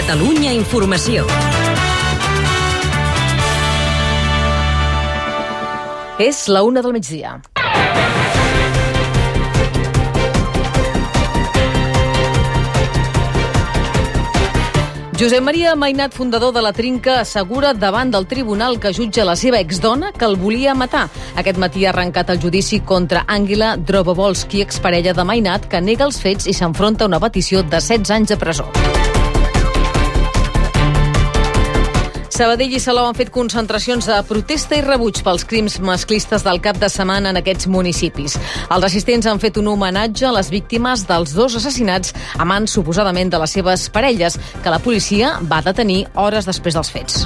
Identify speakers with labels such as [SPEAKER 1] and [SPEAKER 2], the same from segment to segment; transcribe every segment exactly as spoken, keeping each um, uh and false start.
[SPEAKER 1] Catalunya Informació.
[SPEAKER 2] És la una del migdia. Josep Maria Mainat, fundador de La Trinca, assegura davant del tribunal que jutja la seva exdona que el volia matar. Aquest matí ha arrencat el judici contra Àngela Drobovolski, exparella de Mainat, que nega els fets i s'enfronta a una petició de setze anys de presó. Sabadell i Salou han fet concentracions de protesta i rebuig pels crims masclistes del cap de setmana en aquests municipis. Els assistents han fet un homenatge a les víctimes dels dos assassinats a mans suposadament de les seves parelles, que la policia va detenir hores després dels fets.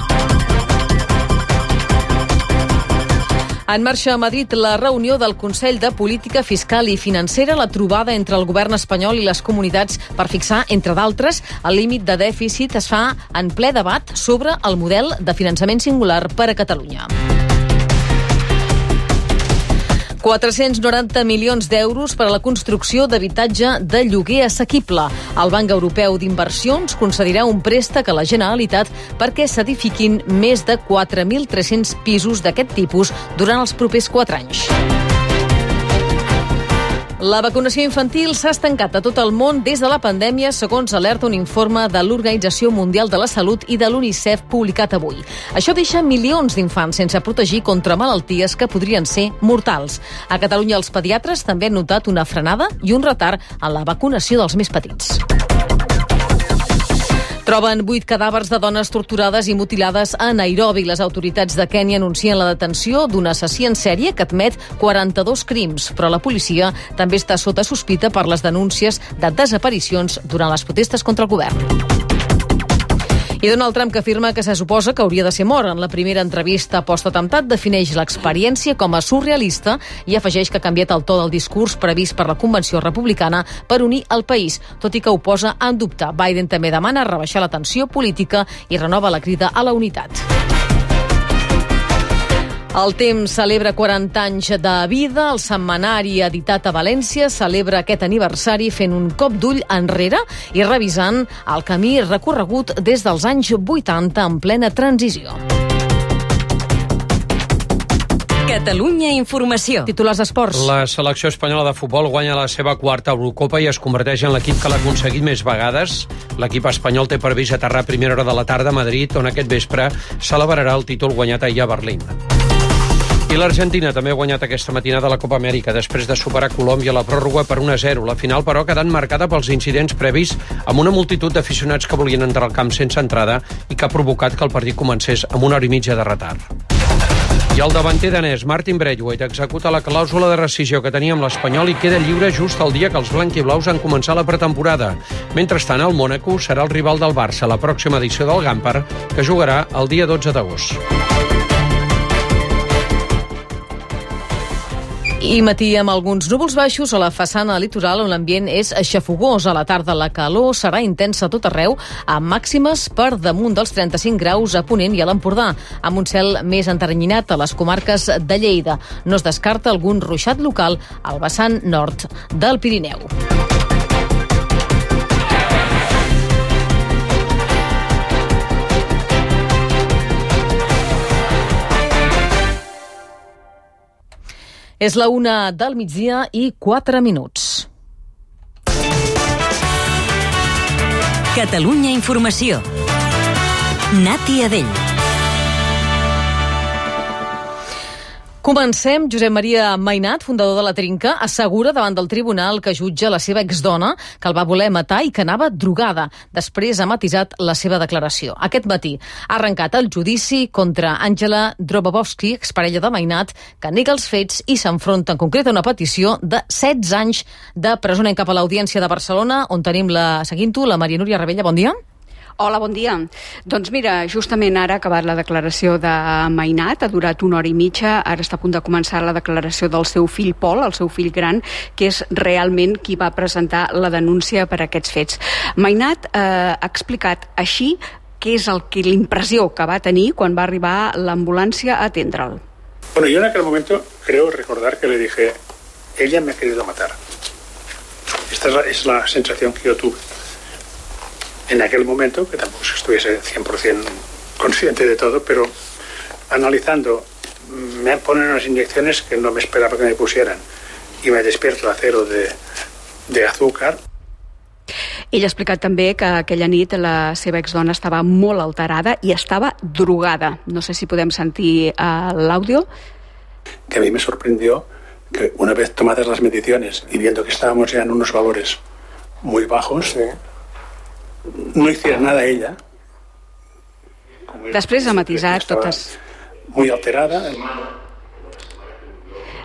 [SPEAKER 2] En marxa a Madrid la reunió del Consell de Política Fiscal i Financera, la trobada entre el govern espanyol i les comunitats per fixar, entre d'altres, el límit de dèficit es fa en ple debat sobre el model de finançament singular per a Catalunya. quatre-cents noranta milions d'euros per a la construcció d'habitatge de lloguer assequible. El Banc Europeu d'Inversions concedirà un préstec a la Generalitat perquè s'edifiquin més de quatre mil tres-cents pisos d'aquest tipus durant els propers quatre anys. La vacunació infantil s'ha estancat a tot el món des de la pandèmia, segons alerta un informe de l'Organització Mundial de la Salut i de l'UNICEF publicat avui. Això deixa milions d'infants sense protegir contra malalties que podrien ser mortals. A Catalunya els pediatres també han notat una frenada i un retard en la vacunació dels més petits. Troben vuit cadàvers de dones torturades i mutilades a Nairobi. Les autoritats de Kènia anuncien la detenció d'un assassí en sèrie que admet quaranta-dos crims, però la policia també està sota sospita per les denúncies de desaparicions durant les protestes contra el govern. I Donald Trump, que afirma que se suposa que hauria de ser mort. En la primera entrevista post-atemptat defineix l'experiència com a surrealista i afegeix que ha canviat el to del discurs previst per la Convenció Republicana per unir el país, tot i que ho posa en dubte. Biden també demana rebaixar la tensió política i renova la crida a la unitat. El Temps celebra quaranta anys de vida. El setmanari editat a València celebra aquest aniversari fent un cop d'ull enrere i revisant el camí recorregut des dels anys vuitanta en plena transició.
[SPEAKER 1] Catalunya Informació.
[SPEAKER 2] Titulars d'esports.
[SPEAKER 3] La selecció espanyola de futbol guanya la seva quarta Eurocopa i es converteix en l'equip que l'ha aconseguit més vegades. L'equip espanyol té previst aterrar a primera hora de la tarda a Madrid, on aquest vespre celebrarà el títol guanyat ahir a Berlín. I l'Argentina també ha guanyat aquesta matinada la Copa Amèrica després de superar Colòmbia a la pròrroga per un a zero. La final, però, ha quedat marcada pels incidents previs amb una multitud d'aficionats que volien entrar al camp sense entrada i que ha provocat que el partit comencés amb una hora i mitja de retard. I el davanter danès Martin Braithwaite executa la clàusula de rescisió que tenia amb l'Espanyol i queda lliure just el dia que els blanquiblaus han començat la pretemporada. Mentrestant, el Mònaco serà el rival del Barça a la pròxima edició del Gampar, que jugarà el dia dotze d'agost.
[SPEAKER 2] I matí amb alguns núvols baixos a la façana litoral on l'ambient és xafogós. A la tarda la calor serà intensa a tot arreu, amb màximes per damunt dels trenta-cinc graus a Ponent i a l'Empordà, amb un cel més enterrenyinat a les comarques de Lleida. No es descarta algun ruixat local al vessant nord del Pirineu. És la una del migdia i quatre minuts.
[SPEAKER 1] Catalunya Informació. Nati Adell.
[SPEAKER 2] Comencem. Josep Maria Mainat, fundador de La Trinca, assegura davant del tribunal que jutja la seva exdona, que el va voler matar i que anava drogada. Després ha matisat la seva declaració. Aquest matí ha arrencat el judici contra Àngela Drobovolski, exparella de Mainat, que nega els fets i s'enfronta en concret a una petició de setze anys de presó. Anem cap a l'Audiència de Barcelona, on tenim la, seguint-ho, la Maria Núria Rebella. Bon dia.
[SPEAKER 4] Hola, bon dia. Doncs mira, justament ara ha acabat la declaració de Mainat, ha durat una hora i mitja, ara està a punt de començar la declaració del seu fill Pol, el seu fill gran, que és realment qui va presentar la denúncia per aquests fets. Mainat eh, ha explicat així què és el que l'impressió que va tenir quan va arribar l'ambulància a atendre'l.
[SPEAKER 5] Bueno, yo en aquel momento creo recordar que le dije, ella me ha querido matar. Esta es la, es la sensación que yo tuve. en aquel momento, que tampoco estuviese cien por ciento consciente de todo, pero analizando, me ponen unas inyecciones que no me esperaba que me pusieran y me despierto a cero de, de azúcar.
[SPEAKER 4] Ell ha explicat també que aquella nit la seva exdona estava molt alterada i estava drogada. No sé si podem sentir uh, l'àudio.
[SPEAKER 5] Que a mí me sorprendió que una vez tomadas las mediciones y viendo que estábamos ya en unos valores muy bajos, sí, no hiciera nada ella.
[SPEAKER 4] Després ha matisat totes.
[SPEAKER 5] Muy alterada.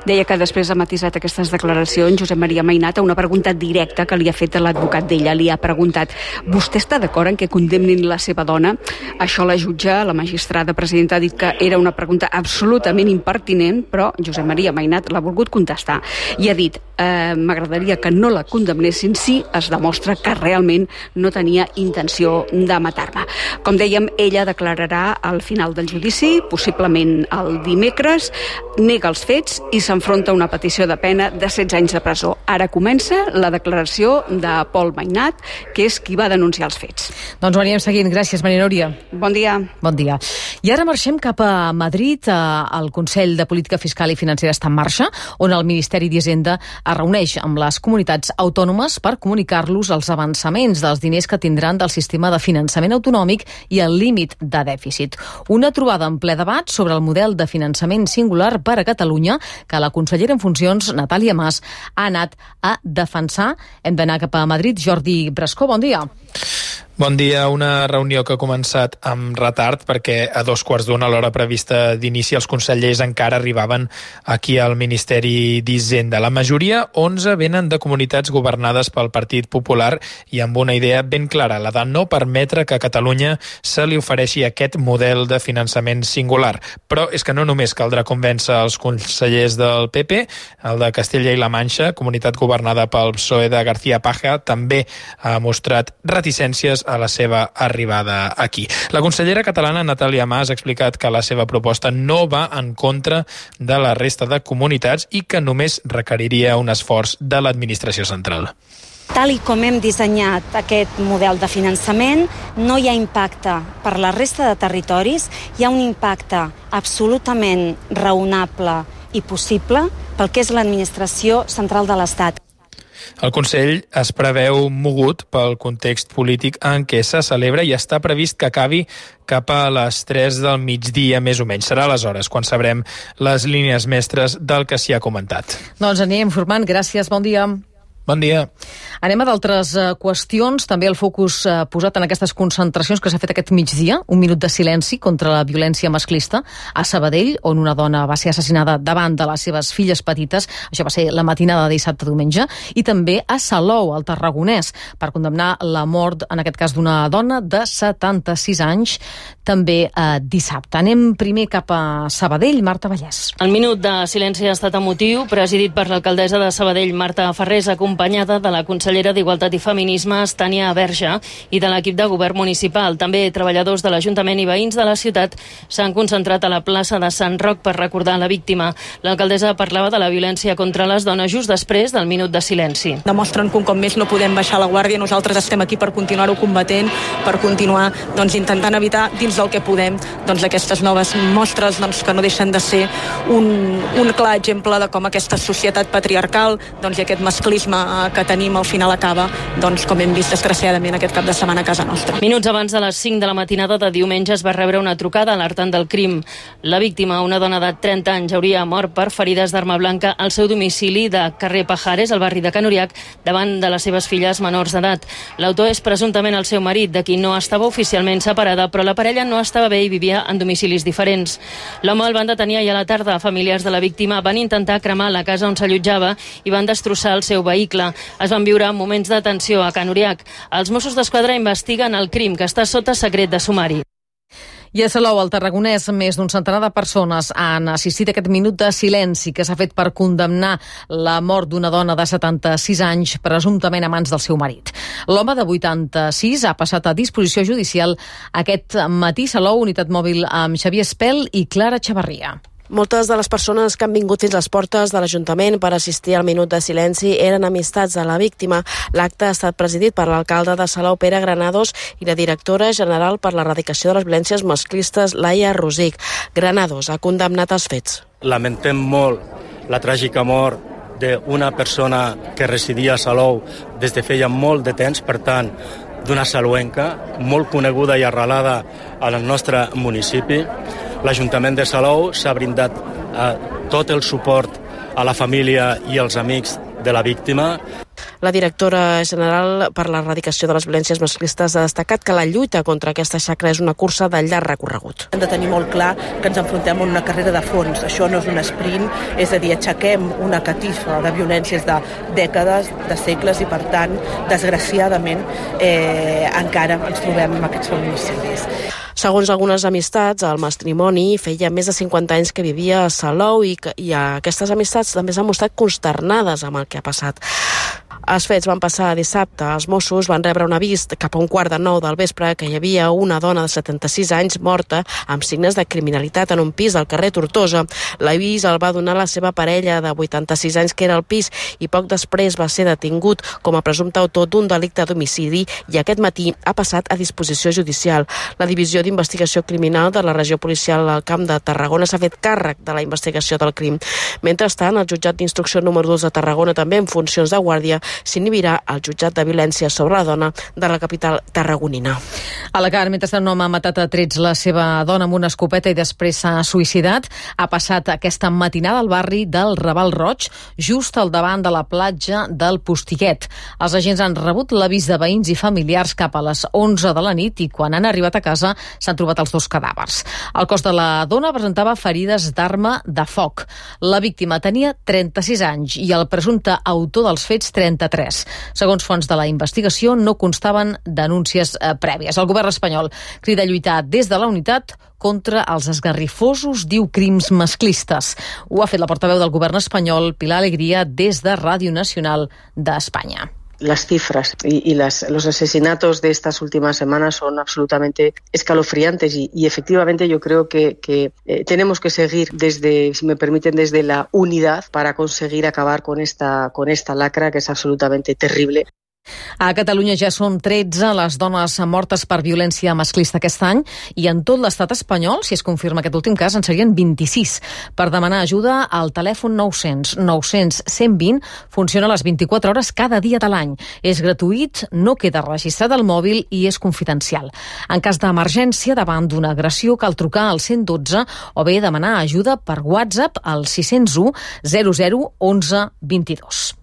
[SPEAKER 4] Deia que després ha matisat aquestes declaracions Josep Maria Mainat a una pregunta directa que li ha fet l'advocat d'ella. Li ha preguntat: vostè està d'acord en que condemnin la seva dona? Això la jutge, la magistrada presidenta, ha dit que era una pregunta absolutament impertinent, però Josep Maria Mainat l'ha volgut contestar i ha dit: eh, m'agradaria que no la condemnessin si es demostra que realment no tenia intenció de matar-me. Com dèiem, ella declararà al final del judici, possiblement el dimecres, nega els fets i s'enfronta a una petició de pena de setze anys de presó. Ara comença la declaració de Pol Mainat, que és qui va denunciar els fets.
[SPEAKER 2] Doncs ho anirem seguint. Gràcies, Maria Núria.
[SPEAKER 4] Bon dia.
[SPEAKER 2] Bon dia. I ara marxem cap a Madrid. El Consell de Política Fiscal i Financera està en marxa, on el Ministeri d'Hisenda es reuneix amb les comunitats autònomes per comunicar-los els avançaments dels diners que tindran del sistema de finançament autonòmic i el límit de dèficit. Una trobada en ple debat sobre el model de finançament singular per a Catalunya que la consellera en funcions, Natàlia Mas, ha anat a defensar. Hem d'anar cap a Madrid. Jordi Brascó, bon dia.
[SPEAKER 6] Bon dia. Una reunió que ha començat amb retard perquè a dos quarts d'una, a l'hora prevista d'inici, els consellers encara arribaven aquí al Ministeri d'Hisenda. La majoria, onze, venen de comunitats governades pel Partit Popular i amb una idea ben clara, la de no permetre que a Catalunya se li ofereixi aquest model de finançament singular. Però és que no només caldrà convèncer els consellers del P P, el de Castella i la Manxa, comunitat governada pel P S O E de García Paja, també ha mostrat reticències a la seva arribada aquí. La consellera catalana Natàlia Mas ha explicat que la seva proposta no va en contra de la resta de comunitats i que només requeriria un esforç de l'administració central.
[SPEAKER 7] Tal i com hem dissenyat aquest model de finançament, no hi ha impacte per la resta de territoris, hi ha un impacte absolutament raonable i possible pel que és l'administració central de l'Estat.
[SPEAKER 6] El Consell es preveu mogut pel context polític en què se celebra i està previst que acabi cap a les tres del migdia, més o menys. Serà aleshores quan sabrem les línies mestres del que s'hi ha comentat.
[SPEAKER 2] Doncs anem formant. Gràcies, bon dia.
[SPEAKER 6] Bon dia.
[SPEAKER 2] Anem a d'altres uh, qüestions. També el focus uh, posat en aquestes concentracions que s'ha fet aquest migdia, un minut de silenci contra la violència masclista a Sabadell, on una dona va ser assassinada davant de les seves filles petites. Això va ser la matinada de dissabte-diumenge. I també a Salou, al Tarragonès, per condemnar la mort, en aquest cas, d'una dona de setanta-sis anys, també uh, dissabte. Anem primer cap a Sabadell. Marta Vallès.
[SPEAKER 8] El minut de silenci ha estat emotiu, presidit per l'alcaldessa de Sabadell, Marta Ferrés, acompanyada de la consellera d'Igualtat i Feminismes, Tània Verge, i de l'equip de govern municipal. També treballadors de l'Ajuntament i veïns de la ciutat s'han concentrat a la plaça de Sant Roc per recordar la víctima. L'alcaldessa parlava de la violència contra les dones just després del minut de silenci.
[SPEAKER 9] Demostren que un cop més no podem baixar la guàrdia. Nosaltres estem aquí per continuar-ho combatent, per continuar doncs, intentant evitar dins del que podem doncs, aquestes noves mostres doncs, que no deixen de ser un, un clar exemple de com aquesta societat patriarcal doncs, i aquest masclisme que tenim al final acaba, doncs, com hem vist desgraciadament aquest cap de setmana a casa nostra.
[SPEAKER 8] Minuts abans de les cinc de la matinada de diumenge es va rebre una trucada alertant del crim. La víctima, una dona de trenta anys, hauria mort per ferides d'arma blanca al seu domicili de carrer Pajares, al barri de Can Uriac, davant de les seves filles menors d'edat. L'autor és presumptament el seu marit, de qui no estava oficialment separada, però la parella no estava bé i vivia en domicilis diferents. L'home el van detenir ahir a la tarda. Familiars de la víctima van intentar cremar la casa on s'allotjava i van destrossar el seu vehicle. Es van viure moments de tensió a Can Uriac. Els Mossos d'Esquadra investiguen el crim, que està sota secret de sumari.
[SPEAKER 2] I a Salou, al Tarragonès, més d'un centenar de persones han assistit a aquest minut de silenci que s'ha fet per condemnar la mort d'una dona de setanta-sis anys, presumptament a mans del seu marit. L'home de vuitanta-sis ha passat a disposició judicial aquest matí. Salou, unitat mòbil amb Xavier Espel i Clara Xavarria.
[SPEAKER 10] Moltes de les persones que han vingut fins a les portes de l'Ajuntament per assistir al minut de silenci eren amistats de la víctima. L'acte ha estat presidit per l'alcalde de Salou, Pere Granados, i la directora general per l'erradicació de les violències masclistes, Laia Rosic. Granados ha condemnat els fets.
[SPEAKER 11] Lamentem molt la tràgica mort d'una persona que residia a Salou des de feia molt de temps, per tant, d'una salouenca molt coneguda i arrelada al nostre municipi. L'Ajuntament de Salou s'ha brindat eh, tot el suport a la família i als amics de la víctima.
[SPEAKER 10] La directora general per l'erradicació de les violències masclistes ha destacat que la lluita contra aquesta xacra és una cursa de llarg recorregut.
[SPEAKER 12] Hem de tenir molt clar que ens enfrontem a una carrera de fons. Això no és un sprint, és a dir, aixequem una catifa de violències de dècades, de segles, i per tant, desgraciadament, eh, encara ens trobem amb aquests feminicidis.
[SPEAKER 10] Segons algunes amistats, el matrimoni feia més de cinquanta anys que vivia a Salou i, que, i aquestes amistats també s'han mostrat consternades amb el que ha passat. Els fets van passar dissabte. Els Mossos van rebre un avís cap a un quart de nou del vespre que hi havia una dona de setanta-sis anys morta amb signes de criminalitat en un pis del carrer Tortosa. L'avís el va donar la seva parella de vuitanta-sis anys que era al pis i poc després va ser detingut com a presumpte autor d'un delicte d'homicidi i aquest matí ha passat a disposició judicial. La Divisió d'Investigació Criminal de la Regió Policial al Camp de Tarragona s'ha fet càrrec de la investigació del crim. Mentrestant, el jutjat d'instrucció número dos de Tarragona, també en funcions de guàrdia, s'inhibirà al jutjat de violència sobre la dona de la capital tarragonina.
[SPEAKER 2] A Alacant, mentrestant, un home ha matat a trets la seva dona amb una escopeta i després s'ha suïcidat. Ha passat aquesta matinada al barri del Raval Roig, just al davant de la platja del Postiguet. Els agents han rebut l'avís de veïns i familiars cap a les onze de la nit i quan han arribat a casa s'han trobat els dos cadàvers. El cos de la dona presentava ferides d'arma de foc. La víctima tenia trenta-sis anys i el presumpte autor dels fets trenta-tres. Segons fonts de la investigació, no constaven denúncies eh, prèvies. El govern espanyol crida a lluitar des de la unitat contra els esgarrifosos, diu, crims masclistes. Ho ha fet la portaveu del govern espanyol, Pilar Alegría, des de Ràdio Nacional d'Espanya.
[SPEAKER 13] Las cifras y, y las, los asesinatos de estas últimas semanas son absolutamente escalofriantes y, y efectivamente yo creo que, que eh, tenemos que seguir desde, si me permiten, desde la unidad para conseguir acabar con esta, con esta lacra que es absolutamente terrible.
[SPEAKER 2] A Catalunya ja són tretze les dones mortes per violència masclista aquest any i en tot l'estat espanyol, si es confirma aquest últim cas, en serien vint-i-sis. Per demanar ajuda, el telèfon nou-cents nou-cents cent vint funciona a les vint-i-quatre hores cada dia de l'any. És gratuït, no queda registrat al mòbil i és confidencial. En cas d'emergència davant d'una agressió cal trucar al cent dotze o bé demanar ajuda per WhatsApp al sis zero u zero zero onze vint-i-dos.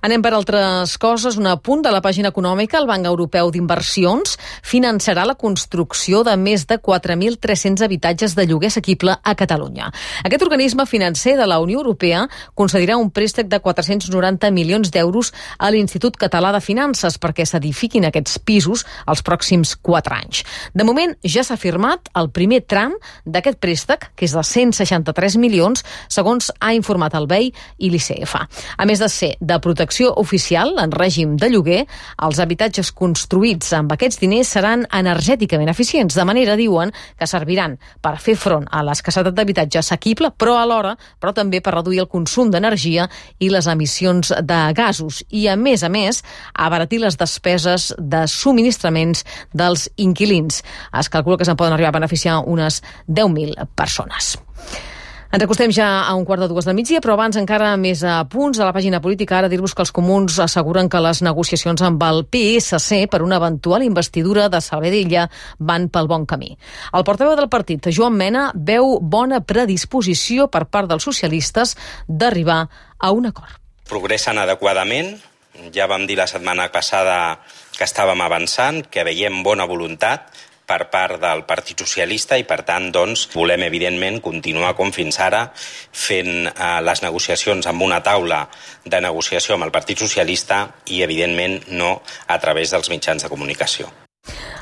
[SPEAKER 2] Anem per altres coses. Un apunt de la pàgina econòmica. El Banc Europeu d'Inversions finançarà la construcció de més de quatre mil tres-cents habitatges de lloguer assequible a Catalunya. Aquest organisme financer de la Unió Europea concedirà un préstec de quatre-cents noranta milions d'euros a l'Institut Català de Finances perquè s'edifiquin aquests pisos els pròxims quatre anys. De moment ja s'ha firmat el primer tram d'aquest préstec, que és de cent seixanta-tres milions, segons ha informat el B E I i l'I C F. A més de ser de protecció oficial en règim de lloguer, els habitatges construïts amb aquests diners seran energèticament eficients, de manera, diuen, que serviran per fer front a l'escassetat d'habitatge assequible, però alhora, però també per reduir el consum d'energia i les emissions de gasos i, a més a més, abaratir les despeses de subministraments dels inquilins. Es calcula que se'n poden arribar a beneficiar unes deu mil persones. Ens acostem ja a un quart de dues del migdia, però abans encara més a punts de la pàgina política. Ara dir-vos que els comuns asseguren que les negociacions amb el P S C per una eventual investidura de Salvadella van pel bon camí. El portaveu del partit, Joan Mena, veu bona predisposició per part dels socialistes d'arribar a un acord.
[SPEAKER 14] Progressen adequadament. Ja vam dir la setmana passada que estàvem avançant, que veiem bona voluntat per part del Partit Socialista i, per tant, doncs, volem, evidentment, continuar com fins ara fent eh, les negociacions amb una taula de negociació amb el Partit Socialista i, evidentment, no a través dels mitjans de comunicació.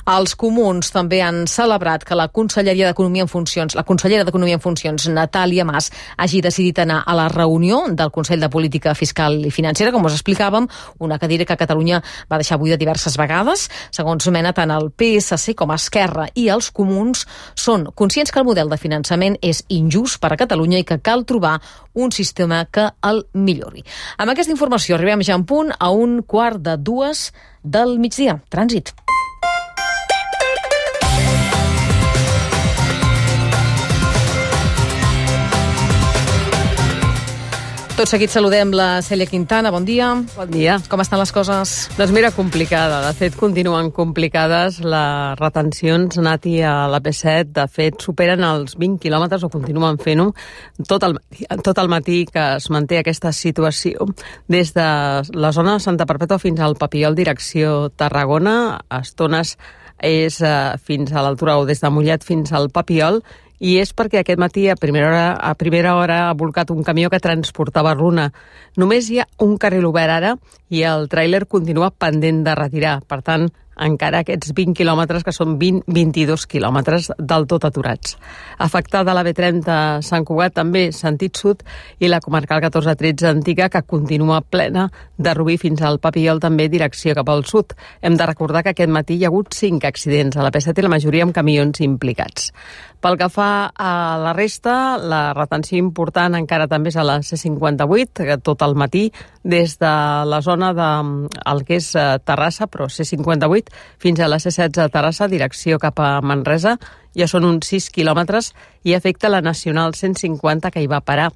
[SPEAKER 2] Els comuns també han celebrat que la Conselleria d'Economia en funcions, la consellera d'Economia en funcions, Natàlia Mas, hagi decidit anar a la reunió del Consell de Política Fiscal i Financera, com us explicàvem, una cadira que Catalunya va deixar buida diverses vegades. Segons Mena, tant el P S C com Esquerra i els comuns són conscients que el model de finançament és injust per a Catalunya i que cal trobar un sistema que el millori. Amb aquesta informació arribem ja en punt a un quart de dues del migdia. Trànsit. Tot seguit saludem la Cèlia Quintana. Bon dia.
[SPEAKER 15] Bon dia.
[SPEAKER 2] Com estan les coses?
[SPEAKER 15] Doncs mira, complicada. De fet, continuen complicades. Les retencions, Nati, a l'A P set, de fet, superen els vint quilòmetres o continuen fent-ho tot el, tot el matí que es manté aquesta situació. Des de la zona de Santa Perpètua fins al Papiol, direcció Tarragona, a estones és eh, fins a l'altura o des de Mollet fins al Papiol, i és perquè aquest matí a primera hora, a primera hora ha volcat un camió que transportava runa. Només hi ha un carril obert ara i el tràiler continua pendent de retirar. Per tant, encara aquests vint quilòmetres, que són vint a vint-i-dos quilòmetres del tot aturats. Afectada la B trenta Sant Cugat, també sentit sud, i la comarcal catorze tretze antiga, que continua plena de Rubí fins al Papiol, també direcció cap al sud. Hem de recordar que aquest matí hi ha hagut cinc accidents a la P set i la majoria amb camions implicats. Pel que fa a la resta, la retenció important encara també és a la C cinquanta-vuit, tot el matí, des de la zona de el que és Terrassa, però C cinquanta-vuit, fins a la C setze a Terrassa, direcció cap a Manresa. Ja són uns sis quilòmetres i afecta la Nacional cent cinquanta, que hi va parar.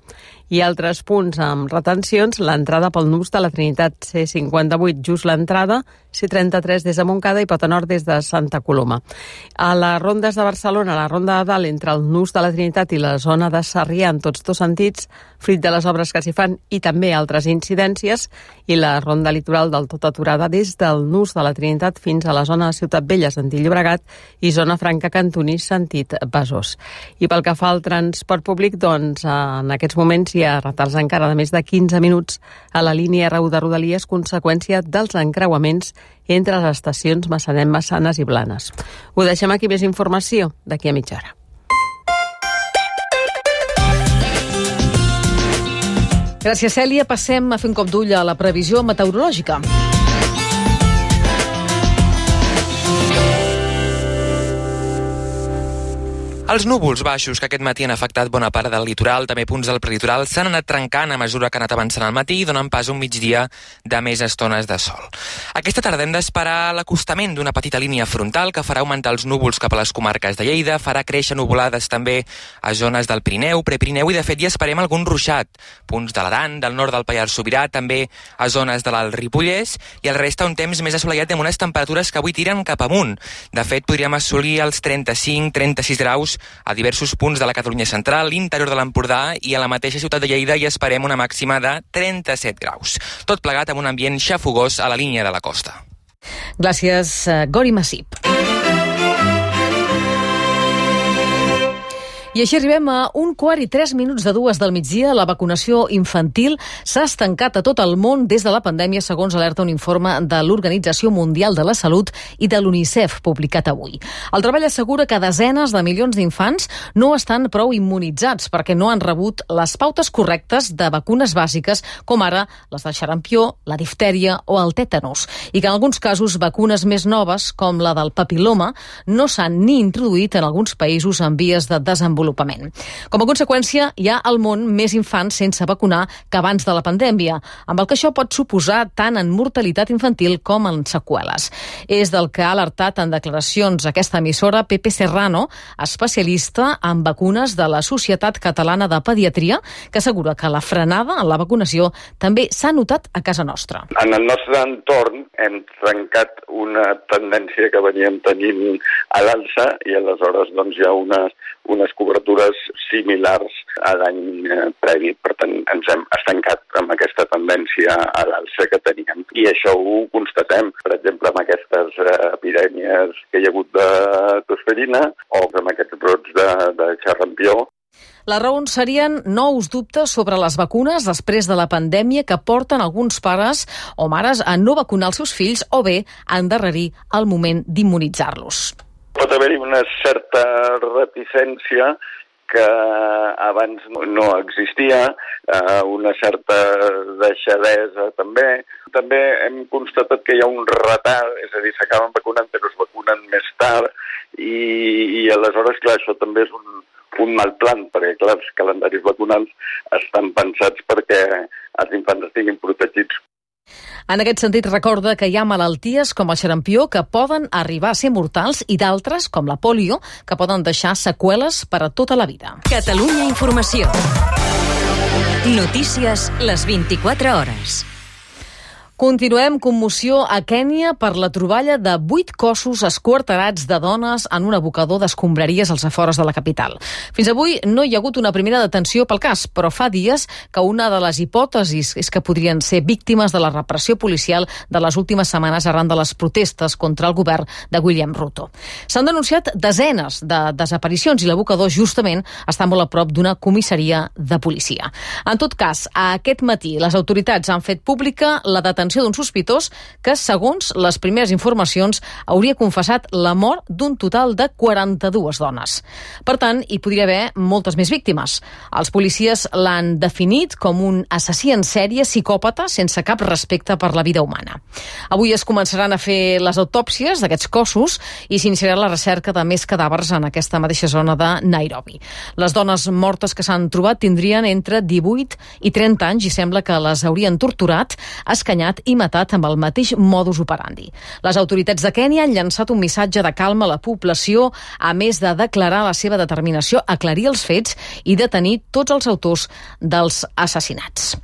[SPEAKER 15] I altres punts amb retencions, l'entrada pel nus de la Trinitat, C cinquanta-vuit, just l'entrada, C trenta-tres des de Montcada i Pota Nord des de Santa Coloma. A les rondes de Barcelona, la ronda de dalt entre el nus de la Trinitat i la zona de Sarrià, en tots dos sentits, fruit de les obres que s'hi fan i també altres incidències, i la ronda litoral del tot aturada des del nus de la Trinitat fins a la zona de Ciutat Vella, sentit Llobregat, i zona franca Cantonís, sentit Besòs. I pel que fa al transport públic, doncs en aquests moments hi ha retards encara de més de quinze minuts a la línia R u de Rodalies, conseqüència dels encreuaments entre les estacions Massanet, Massanes i Blanes. Ho deixem aquí, més informació d'aquí a mitja hora.
[SPEAKER 2] Gràcies, Cèlia. Passem a fer un cop d'ull a la previsió meteorològica.
[SPEAKER 16] Els núvols baixos que aquest matí han afectat bona part del litoral, també punts del prelitoral, s'han anat trencant a mesura que ha anat avançant al matí i donant pas a un migdia de més estones de sol. Aquesta tarda hem d'esperar l'acostament d'una petita línia frontal que farà augmentar els núvols cap a les comarques de Lleida, farà créixer nuvolades també a zones del Pirineu, Prepirineu, i de fet hi esperem algun ruixat. Punts de l'Aran, del nord del Pallars Sobirà, també a zones de l'Alt Ripollès, i el resta un temps més assolellat amb unes temperatures que avui tiren cap amunt. De fet, podríem assolir els trenta-cinc trenta-sis graus a diversos punts de la Catalunya central, l'interior de l'Empordà, i a la mateixa ciutat de Lleida hi esperem una màxima de trenta-set graus. Tot plegat amb un ambient xafogós a la línia de la costa.
[SPEAKER 2] Gràcies, Gori Massip. I així arribem a un quart i tres minuts de dues del migdia. La vacunació infantil s'ha estancat a tot el món des de la pandèmia, segons alerta un informe de l'Organització Mundial de la Salut i de l'UNICEF, publicat avui. El treball assegura que desenes de milions d'infants no estan prou immunitzats perquè no han rebut les pautes correctes de vacunes bàsiques, com ara les del xarampió, la diftèria o el tètanus, i que en alguns casos vacunes més noves, com la del papil·loma, no s'han ni introduït en alguns països en vies de desenvolupament. Com a conseqüència, hi ha al món més infants sense vacunar que abans de la pandèmia, amb el que això pot suposar tant en mortalitat infantil com en seqüeles. És del que ha alertat en declaracions aquesta emissora Pepe Serrano, especialista en vacunes de la Societat Catalana de Pediatria, que assegura que la frenada en la vacunació també s'ha notat a casa nostra.
[SPEAKER 17] En el nostre entorn hem trencat una tendència que veníem tenint a l'alça i aleshores doncs, hi ha unes, unes cobertures similars a l'any eh, previ. Per tant, ens hem estancat amb aquesta tendència a l'alça que teníem. I això ho constatem, per exemple, amb aquestes eh, epidèmies que hi ha hagut de tosferina o amb aquests brots de, de xarampió.
[SPEAKER 2] Les raons serien nous dubtes sobre les vacunes després de la pandèmia que porten alguns pares o mares a no vacunar els seus fills o bé a endarrerir el moment d'immunitzar-los.
[SPEAKER 17] Pot haver-hi una certa reticència que abans no existia, una certa deixadesa també. També hem constatat que hi ha un retard, és a dir, s'acaben vacunant però es vacunen més tard i, i aleshores, clar, això també és un, un mal plan, perquè, clar, els calendaris vacunals estan pensats perquè els infants estiguin protegits.
[SPEAKER 2] En aquest sentit, recorda que hi ha malalties com el xarampió que poden arribar a ser mortals i d'altres, com la pòlio, que poden deixar seqüeles per a tota la vida.
[SPEAKER 1] Catalunya Informació. Notícies les vint-i-quatre hores.
[SPEAKER 2] Continuem commoció a Kènia per la troballa de vuit cossos esquarterats de dones en un abocador d'escombraries als afores de la capital. Fins avui no hi ha hagut una primera detenció pel cas, però fa dies que una de les hipòtesis és que podrien ser víctimes de la repressió policial de les últimes setmanes arran de les protestes contra el govern de William Ruto. S'han denunciat desenes de desaparicions i l'abocador justament està molt a prop d'una comissaria de policia. En tot cas, aquest matí les autoritats han fet pública la detenció d'un sospitós que, segons les primeres informacions, hauria confessat la mort d'un total de quaranta-dues dones. Per tant, hi podria haver moltes més víctimes. Els policies l'han definit com un assassí en sèrie psicòpata sense cap respecte per la vida humana. Avui es començaran a fer les autòpsies d'aquests cossos i s'iniciarà la recerca de més cadàvers en aquesta mateixa zona de Nairobi. Les dones mortes que s'han trobat tindrien entre divuit i trenta anys i sembla que les haurien torturat, escanyat i matat amb el mateix modus operandi. Les autoritats de Kènia han llançat un missatge de calma a la població, a més de declarar la seva determinació a aclarir els fets i detenir tots els autors dels assassinats.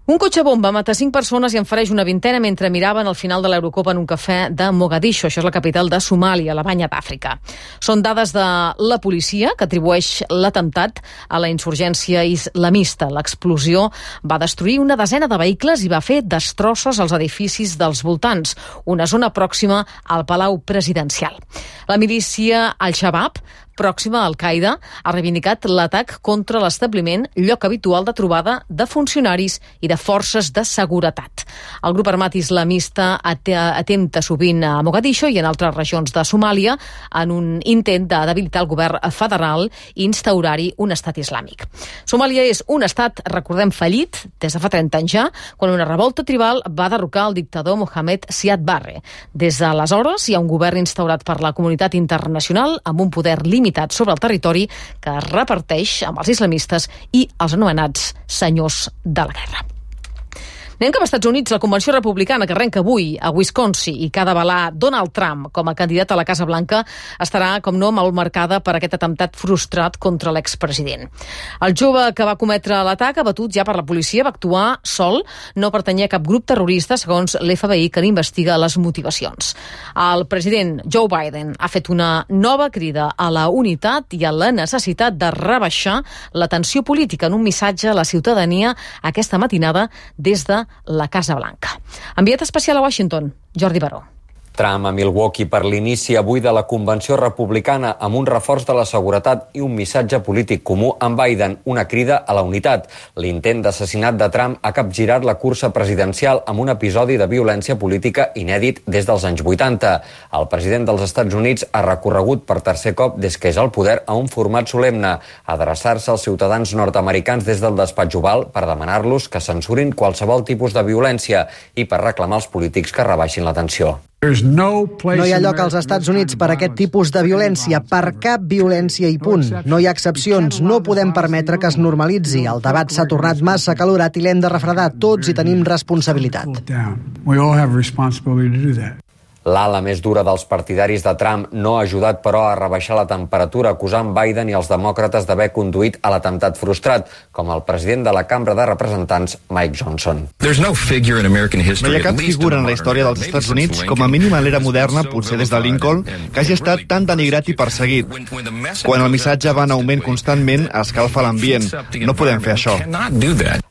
[SPEAKER 2] Un cotxe bomba mata cinc persones i en fereix una vintena mentre miraven al final de l'Eurocopa en un cafè de Mogadiscio, això és la capital de Somàlia, la banya d'Àfrica. Són dades de la policia que atribueix l'atemptat a la insurgència islamista. L'explosió va destruir una desena de vehicles i va fer destrosses als edificis dels voltants, una zona pròxima al Palau Presidencial. La milícia Al-Shabaab, pròxima a Al-Qaeda, ha reivindicat l'atac contra l'establiment, lloc habitual de trobada de funcionaris i de forces de seguretat. El grup armat islamista atempta sovint a Mogadiscio i en altres regions de Somàlia en un intent de debilitar el govern federal i instaurar-hi un estat islàmic. Somàlia és un estat, recordem, fallit des de fa trenta anys ja, quan una revolta tribal va derrocar el dictador Mohamed Siad Barre. Des d'aleshores hi ha un govern instaurat per la comunitat internacional amb un poder limitat sobre el territori que es reparteix amb els islamistes i els anomenats senyors de la guerra. Anem cap als Estats Units. La convenció republicana que arrenca avui a Wisconsin i que ha d'avalar Donald Trump com a candidat a la Casa Blanca estarà, com no, molt marcada per aquest atemptat frustrat contra l'expresident. El jove que va cometre l'atac, abatut ja per la policia, va actuar sol, no pertanyia a cap grup terrorista, segons l'F B I, que n'investiga les motivacions. El president Joe Biden ha fet una nova crida a la unitat i a la necessitat de rebaixar la tensió política en un missatge a la ciutadania aquesta matinada des de la Casa Blanca. Enviat especial a Washington, Jordi Baró.
[SPEAKER 18] Trump a Milwaukee per l'inici avui de la convenció republicana amb un reforç de la seguretat i un missatge polític comú amb Biden, una crida a la unitat. L'intent d'assassinat de Trump ha capgirat la cursa presidencial amb un episodi de violència política inèdit des dels anys vuitanta. El president dels Estats Units ha recorregut per tercer cop des que és al poder a un format solemne, adreçar-se als ciutadans nord-americans des del despatx Oval per demanar-los que censurin qualsevol tipus de violència i per reclamar als polítics que rebaixin la tensió.
[SPEAKER 19] No hi ha lloc als Estats Units per a aquest tipus de violència, per cap violència i punt. No hi ha excepcions, no podem permetre que es normalitzi. El debat s'ha tornat massa acalorat i l'hem de refredar. Tots hi tenim responsabilitat.
[SPEAKER 18] L'ala més dura dels partidaris de Trump no ha ajudat, però, a rebaixar la temperatura, acusant Biden i els demòcrates d'haver conduït a l'atemptat frustrat, com el president de la Cambra de Representants, Mike Johnson.
[SPEAKER 20] No hi ha cap figura en la història dels Estats Units, com a mínim a l'era moderna, potser des de Lincoln, que hagi estat tan denigrat i perseguit. Quan el missatge va en augment constantment, escalfa l'ambient. No podem fer això.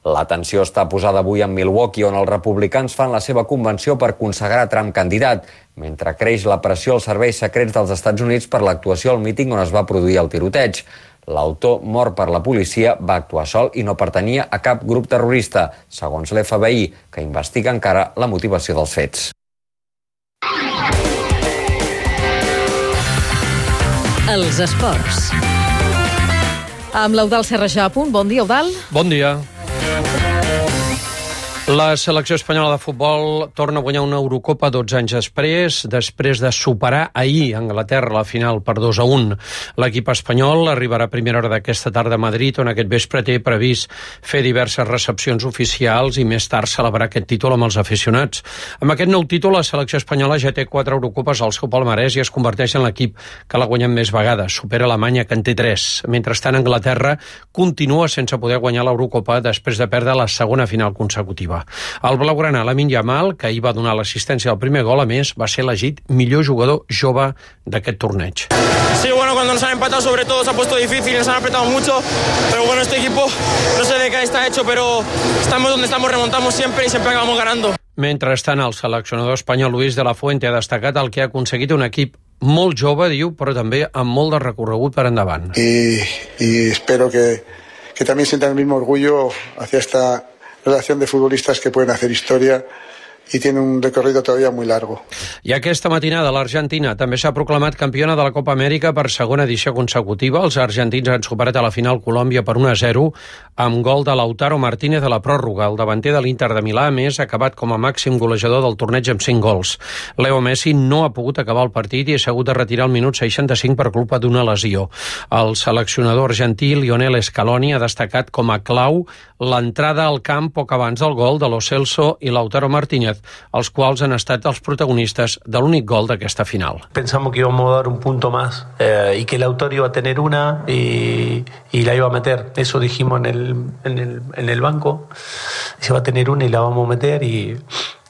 [SPEAKER 18] La tensió està posada avui en Milwaukee, on els republicans fan la seva convenció per consagrar Trump candidat, mentre creix la pressió als serveis secrets dels Estats Units per l'actuació al míting on es va produir el tiroteig. L'autor, mort per la policia, va actuar sol i no pertanyia a cap grup terrorista, segons l'F B I, que investiga encara la motivació dels fets.
[SPEAKER 1] Els esports.
[SPEAKER 2] Amb l'Eudald Serrajà a punt. Bon dia, Eudald.
[SPEAKER 3] Bon dia. La selecció espanyola de futbol torna a guanyar una Eurocopa dotze anys després, després de superar ahir a Anglaterra la final per dos a un. L'equip espanyol arribarà a primera hora d'aquesta tarda a Madrid, on aquest vespre té previst fer diverses recepcions oficials i més tard celebrar aquest títol amb els aficionats. Amb aquest nou títol, la selecció espanyola ja té quatre Eurocopes al seu palmarès i es converteix en l'equip que l'ha guanyat més vegades. Supera Alemanya, que en té tres. Mentrestant, Anglaterra continua sense poder guanyar l'Eurocopa després de perdre la segona final consecutiva. El blaugrana Lamine Yamal, que ahir va donar l'assistència al primer gol, a més, va ser elegit millor jugador jove d'aquest torneig.
[SPEAKER 21] Sí, bueno, cuando nos han empatado sobre todo se ha puesto difícil, nos han apretado mucho, pero bueno, este equipo no sé de qué está hecho, pero estamos donde estamos, remontamos siempre y siempre acabamos ganando.
[SPEAKER 3] Mentrestant, el seleccionador espanyol Luis de la Fuente ha destacat el que ha aconseguit un equip molt jove, diu, però també amb molt de recorregut per endavant.
[SPEAKER 22] Y, y espero que, que también sientan el mismo orgullo hacia esta relación de futbolistas que pueden hacer historia i tiene un recorrido todavía muy largo.
[SPEAKER 3] I aquesta matinada l'Argentina també s'ha proclamat campiona de la Copa Amèrica per segona edició consecutiva. Els argentins han superat a la final Colòmbia per un a zero amb gol de Lautaro Martínez a la pròrroga. El davanter de l'Inter de Milà, a més, ha acabat com a màxim golejador del torneig amb cinc gols. Leo Messi no ha pogut acabar el partit i s'ha hagut de retirar al minut seixanta-cinc per culpa d'una lesió. El seleccionador argentí Lionel Scaloni ha destacat com a clau l'entrada al camp poc abans del gol de Lo Celso i Lautaro Martínez, els quals han estat els protagonistes de l'únic gol d'aquesta final.
[SPEAKER 23] Pensamos que íbamos a dar un punto más eh, y que Lautaro iba a tener una y, y la iba a meter. Eso dijimos en el, en el, en el banco. Se va a tener una y la vamos a meter y...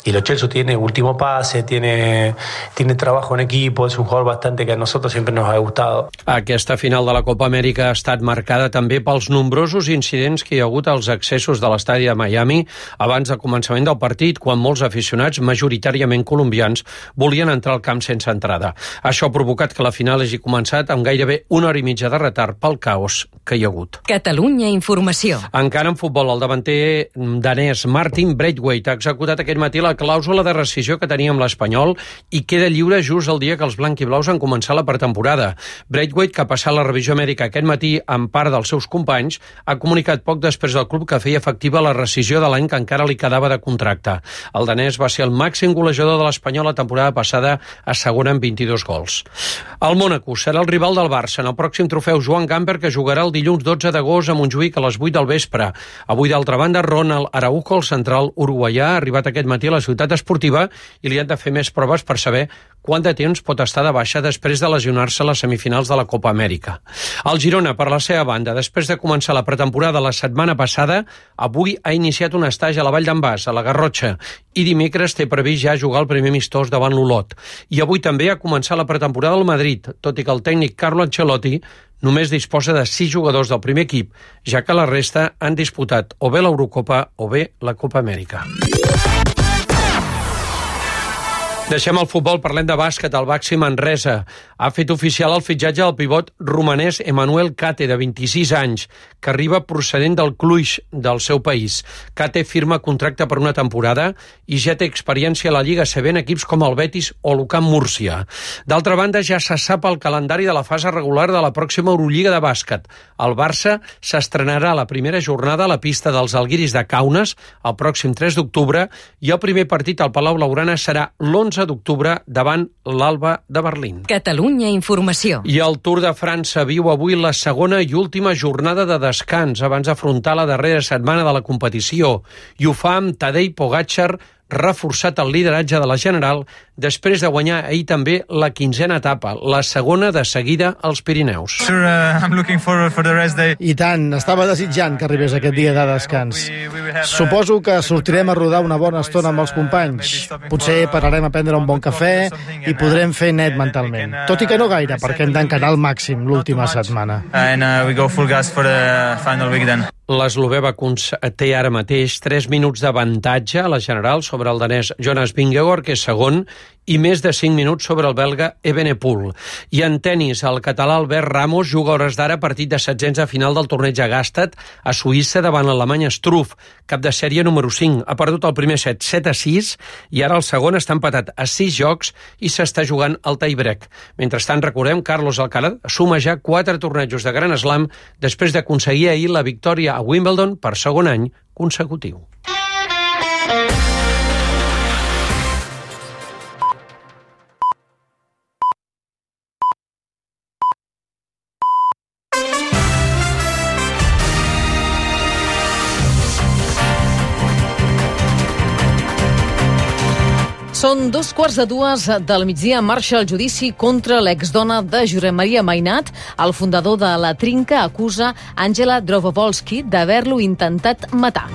[SPEAKER 23] Y Lo Celso tiene último pase, tiene, tiene trabajo en equipo, es un jugador bastante que a nosotros siempre nos ha gustado.
[SPEAKER 3] Aquesta final de la Copa Amèrica ha estat marcada també pels nombrosos incidents que hi ha hagut als accessos de l'estadi de Miami abans del començament del partit, quan molts aficionats, majoritàriament colombians, volien entrar al camp sense entrada. Això ha provocat que la final hagi començat amb gairebé una hora i mitja de retard pel caos que hi ha hagut.
[SPEAKER 1] Catalunya Informació.
[SPEAKER 3] Encara en futbol, el davanter danès Martin Braithwaite ha executat aquest matí la la clàusula de rescissió que tenia amb l'Espanyol i queda lliure just el dia que els blanquiblaus han començat la pretemporada. Braithwaite, que ha passat la revisió mèdica aquest matí amb part dels seus companys, ha comunicat poc després del club que feia efectiva la rescissió de l'any que encara li quedava de contracte. El danès va ser el màxim golejador de l'Espanyol la temporada passada, asseguren vint-i-dos gols. El Mónaco serà el rival del Barça en el pròxim trofeu Joan Gamper, que jugarà el dilluns dotze d'agost a Montjuïc a les vuit del vespre. Avui, d'altra banda, Ronald Araujo, el central uruguaià, ha arribat aquest matí a la ciutat esportiva i li han de fer més proves per saber quant de temps pot estar de baixa després de lesionar-se a les semifinals de la Copa Amèrica. El Girona, per la seva banda, després de començar la pretemporada la setmana passada, avui ha iniciat un estatge a la Vall d'en Bas, a la Garrotxa, i dimecres té previst ja jugar el primer amistós davant l'Olot. I avui també ha començat la pretemporada al Madrid, tot i que el tècnic Carlo Ancelotti només disposa de sis jugadors del primer equip, ja que la resta han disputat o bé l'Eurocopa o bé la Copa Amèrica. Deixem el futbol, parlem de bàsquet. El Baxi Manresa ha fet oficial el fitxatge del pivot romanès Emmanuel Kate, de vint-i-sis anys, que arriba procedent del Cluj, del seu país. Kate firma contracte per una temporada i ja té experiència a la Lliga C B en equips com el Betis o l'U C A M Múrcia. D'altra banda, ja se sap el calendari de la fase regular de la pròxima Eurolliga de bàsquet. El Barça s'estrenarà la primera jornada a la pista dels Alguiris de Kaunas el pròxim tres d'octubre i el primer partit al Palau Blaugrana serà l'onze d'octubre davant l'Alba de Berlín.
[SPEAKER 1] Catalunya Informació.
[SPEAKER 3] I el Tour de França viu avui la segona i última jornada de descans abans d'afrontar la darrera setmana de la competició. I ho fa amb Tadej Pogačar reforçat el lideratge de la General després de guanyar ahir també la quinzena etapa, la segona de seguida als Pirineus.
[SPEAKER 24] Sure, uh, I'm looking forward for the rest day.
[SPEAKER 25] I tant, estava desitjant que arribés aquest dia de descans. Suposo que sortirem a rodar una bona estona amb els companys. Potser pararem a prendre un bon cafè i podrem fer net mentalment. Tot i que no gaire, perquè hem d'encarar al màxim l'última setmana.
[SPEAKER 24] And uh, we go full gas for the final week then.
[SPEAKER 3] L'eslovè té ara mateix tres minuts d'avantatge a la general sobre el danès Jonas Vingegaard, que és segon, i més de cinc minuts sobre el belga Evenepoel. I en tennis, el català Albert Ramos juga a hores d'ara partit de setzents a final del torneig a Gstaad a Suïssa davant l'Alemany Struff, cap de sèrie número cinc. Ha perdut el primer set, set a sis, i ara el segon està empatat a sis jocs i s'està jugant el tie-break. Mentrestant, recordem, Carlos Alcaraz suma ja quatre tornejos de Grand Slam després d'aconseguir ahir la victòria a Wimbledon per segon any consecutiu.
[SPEAKER 2] Són dos quarts de dues del migdia. Marxa el judici contra l'exdona de Josep Maria Mainat. El fundador de La Trinca acusa Àngela Drovovolski d'haver-lo intentat matar.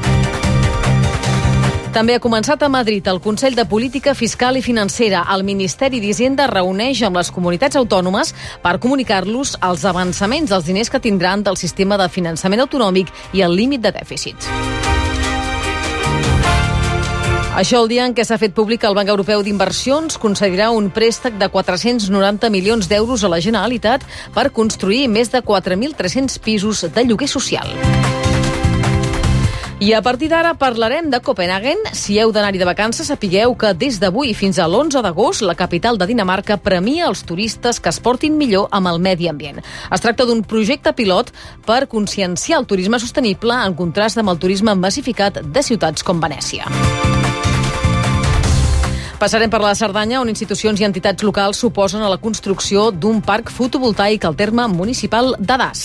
[SPEAKER 2] També ha començat a Madrid el Consell de Política Fiscal i Financera. El Ministeri d'Hisenda reuneix amb les comunitats autònomes per comunicar-los els avançaments dels diners que tindran del sistema de finançament autonòmic i el límit de dèficit. Això el dia en què s'ha fet públic que el Banc Europeu d'Inversions concedirà un préstec de quatre-cents noranta milions d'euros a la Generalitat per construir més de quatre mil tres-cents pisos de lloguer social. I a partir d'ara parlarem de Copenhagen. Si heu d'anar-hi de vacances, sapigueu que des d'avui fins a l'onze d'agost la capital de Dinamarca premia els turistes que es portin millor amb el medi ambient. Es tracta d'un projecte pilot per conscienciar el turisme sostenible en contrast amb el turisme massificat de ciutats com Venècia. Passarem per la Cerdanya, on institucions i entitats locals s'oposen a la construcció d'un parc fotovoltaic al terme municipal de Das.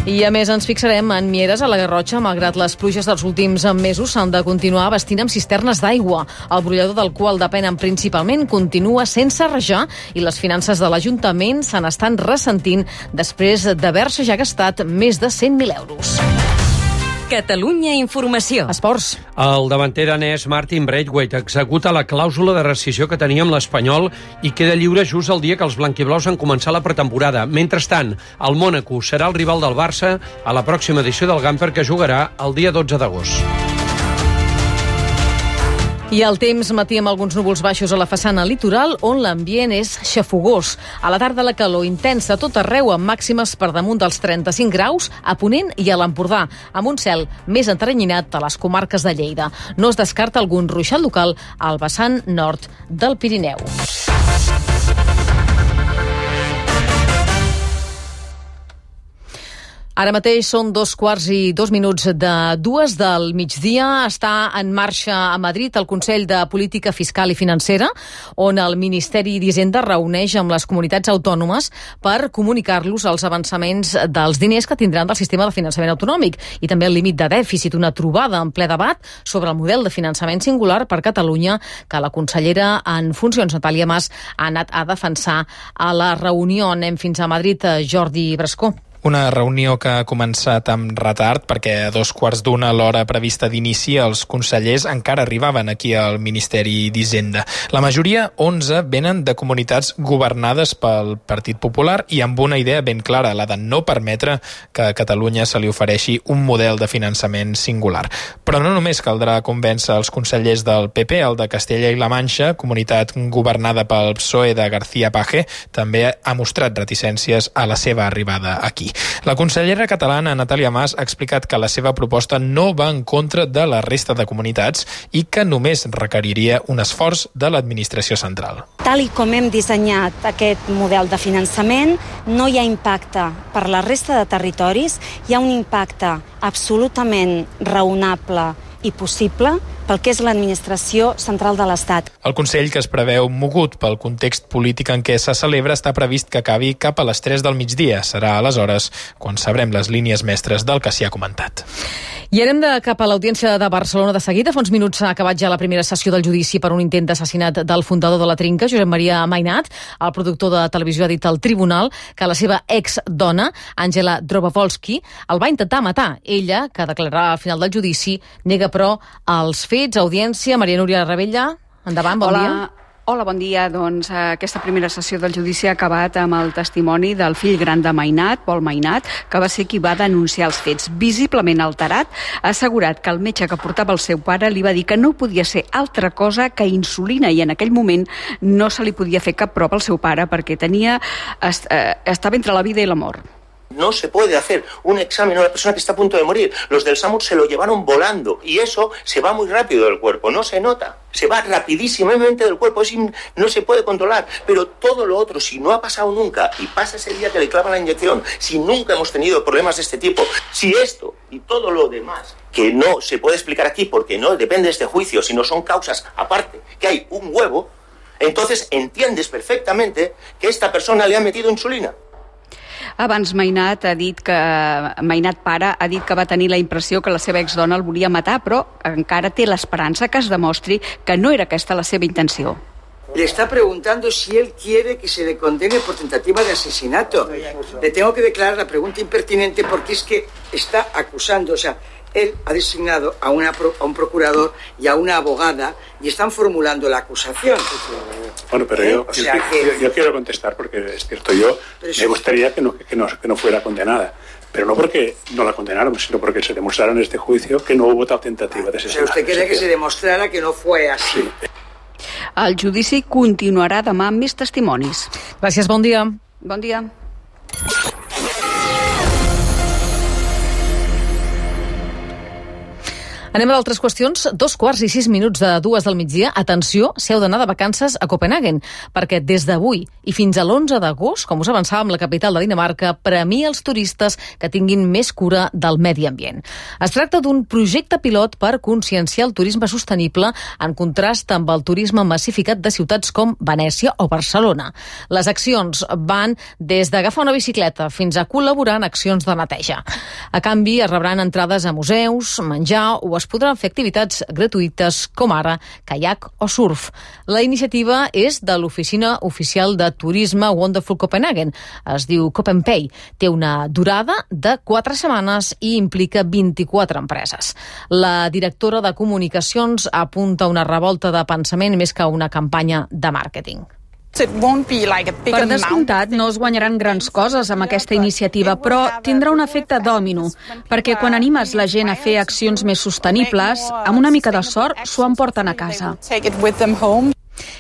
[SPEAKER 2] I a més ens fixarem en Mieres, a la Garrotxa. Malgrat les pluges dels últims mesos, s'han de continuar abastint amb cisternes d'aigua. El brollador del qual depenen principalment continua sense rajar i les finances de l'Ajuntament se n'estan ressentint després d'haver-se ja gastat més de cent mil euros.
[SPEAKER 1] Catalunya Informació.
[SPEAKER 2] Esports.
[SPEAKER 3] El davanter danès Martin Braithwaite executa la clàusula de rescissió que tenia amb l'Espanyol i queda lliure just el dia que els blanquiblaus han començat la pretemporada. Mentrestant, el Mònaco serà el rival del Barça a la pròxima edició del Gamper, que jugarà el dia dotze d'agost.
[SPEAKER 2] I el temps, matí amb alguns núvols baixos a la façana litoral, on l'ambient és xafogós. A la tarda la calor intensa a tot arreu, amb màximes per damunt dels trenta-cinc graus a Ponent i a l'Empordà, amb un cel més enteranyinat a les comarques de Lleida. No es descarta algun ruixat local al vessant nord del Pirineu. Ara mateix són dos quarts i dos minuts de dues del migdia. Està en marxa a Madrid el Consell de Política Fiscal i Financera, on el Ministeri d'Hisenda reuneix amb les comunitats autònomes per comunicar-los els avançaments dels diners que tindran del sistema de finançament autonòmic i també el límit de dèficit. Una trobada en ple debat sobre el model de finançament singular per Catalunya que la consellera en funcions, Natàlia Mas, ha anat a defensar a la reunió. Anem fins a Madrid, Jordi Brascó.
[SPEAKER 4] Una reunió que ha començat amb retard perquè a dos quarts d'una a l'hora prevista d'inici els consellers encara arribaven aquí al Ministeri d'Hisenda. La majoria, onze, venen de comunitats governades pel Partit Popular i amb una idea ben clara, la de no permetre que a Catalunya se li ofereixi un model de finançament singular. Però no només caldrà convèncer els consellers del P P, el de Castella i la Manxa, comunitat governada pel P S O E de García Page, també ha mostrat reticències a la seva arribada aquí. La consellera catalana Natàlia Mas ha explicat que la seva proposta no va en contra de la resta de comunitats i que només requeriria un esforç de l'administració central.
[SPEAKER 5] Tal i com hem dissenyat aquest model de finançament, no hi ha impacte per la resta de territoris, hi ha un impacte absolutament raonable i possible pel que és l'administració central de l'Estat.
[SPEAKER 4] El Consell, que es preveu mogut pel context polític en què se celebra, està previst que acabi cap a les tres del migdia. Serà aleshores quan sabrem les línies mestres del que s'hi ha comentat.
[SPEAKER 2] I anem de cap a l'Audiència de Barcelona de seguida. Fa uns minuts ha acabat ja la primera sessió del judici per un intent d'assassinat del fundador de La Trinca, Josep Maria Mainat. El productor de televisió ha dit al tribunal que la seva ex-dona, Àngela Drovovolski, el va intentar matar. Ella, que declararà al final del judici, nega però els fets. Audiència, Maria Núria Rebella, endavant, bon
[SPEAKER 6] Hola.
[SPEAKER 2] dia.
[SPEAKER 6] Hola, bon dia. Doncs aquesta primera sessió del judici ha acabat amb el testimoni del fill gran de Mainat, Pol Mainat, que va ser qui va denunciar els fets. Visiblement alterat, ha assegurat que el metge que portava el seu pare li va dir que no podia ser altra cosa que insulina i en aquell moment no se li podia fer cap prova al seu pare perquè tenia, est, eh, estava entre la vida i la mort.
[SPEAKER 7] No se puede hacer un examen a una persona que está a punto de morir. Los del SAMUR se lo llevaron volando y eso se va muy rápido del cuerpo, no se nota. Se va rapidísimamente del cuerpo, es in, no se puede controlar. Pero todo lo otro, si no ha pasado nunca y pasa ese día que le clavan la inyección, si nunca hemos tenido problemas de este tipo, si esto y todo lo demás, que no se puede explicar aquí porque no depende de este juicio, sino son causas aparte, que hay un huevo, entonces entiendes perfectamente que esta persona le ha metido insulina.
[SPEAKER 6] Abans Mainat ha dit que Mainat pare ha dit que va tenir la impressió que la seva exdona el volia matar, però encara té l'esperança que es demostri que no era aquesta la seva intenció.
[SPEAKER 8] Le está preguntando si él quiere que se le condene por tentativa de asesinato. Le tengo que declarar la pregunta impertinente porque es que está acusando, o sea, él ha designado a, una, a un procurador y a una abogada y están formulando la acusación.
[SPEAKER 9] Bueno, pero ¿Eh? yo, o sea yo, que... yo, yo quiero contestar porque es cierto, yo pero me gustaría que no, que, no, que no fuera condenada. Pero no porque no la condenaron, sino porque se demostrara en este juicio que no hubo tal tentativa de asesinato.
[SPEAKER 8] O sea, usted quería que se demostrara que no fue así.
[SPEAKER 9] Sí.
[SPEAKER 6] El judici continuarà demà amb més testimonis.
[SPEAKER 2] Gràcies, bon dia.
[SPEAKER 6] Bon dia.
[SPEAKER 2] Anem a d'altres qüestions. Dos quarts i sis minuts de dues del migdia. Atenció, si heu d'anar de vacances a Copenhagen, perquè des d'avui i fins a l'onze d'agost, com us avançàvem, la capital de Dinamarca premia els turistes que tinguin més cura del medi ambient. Es tracta d'un projecte pilot per conscienciar el turisme sostenible en contrast amb el turisme massificat de ciutats com Venècia o Barcelona. Les accions van des d'agafar una bicicleta fins a col·laborar en accions de neteja. A canvi, es rebran entrades a museus, menjar o es podran fer activitats gratuïtes com ara caiac o surf. La iniciativa és de l'Oficina Oficial de Turisme Wonderful Copenhagen. Es diu Copenpay. Té una durada de quatre setmanes i implica vint-i-quatre empreses. La directora de comunicacions apunta una revolta de pensament més que una campanya de màrqueting.
[SPEAKER 11] Per descomptat, no es guanyaran grans coses amb aquesta iniciativa, però tindrà un efecte dòmino, perquè quan animes la gent a fer accions més sostenibles, amb una mica de sort s'ho emporten a casa.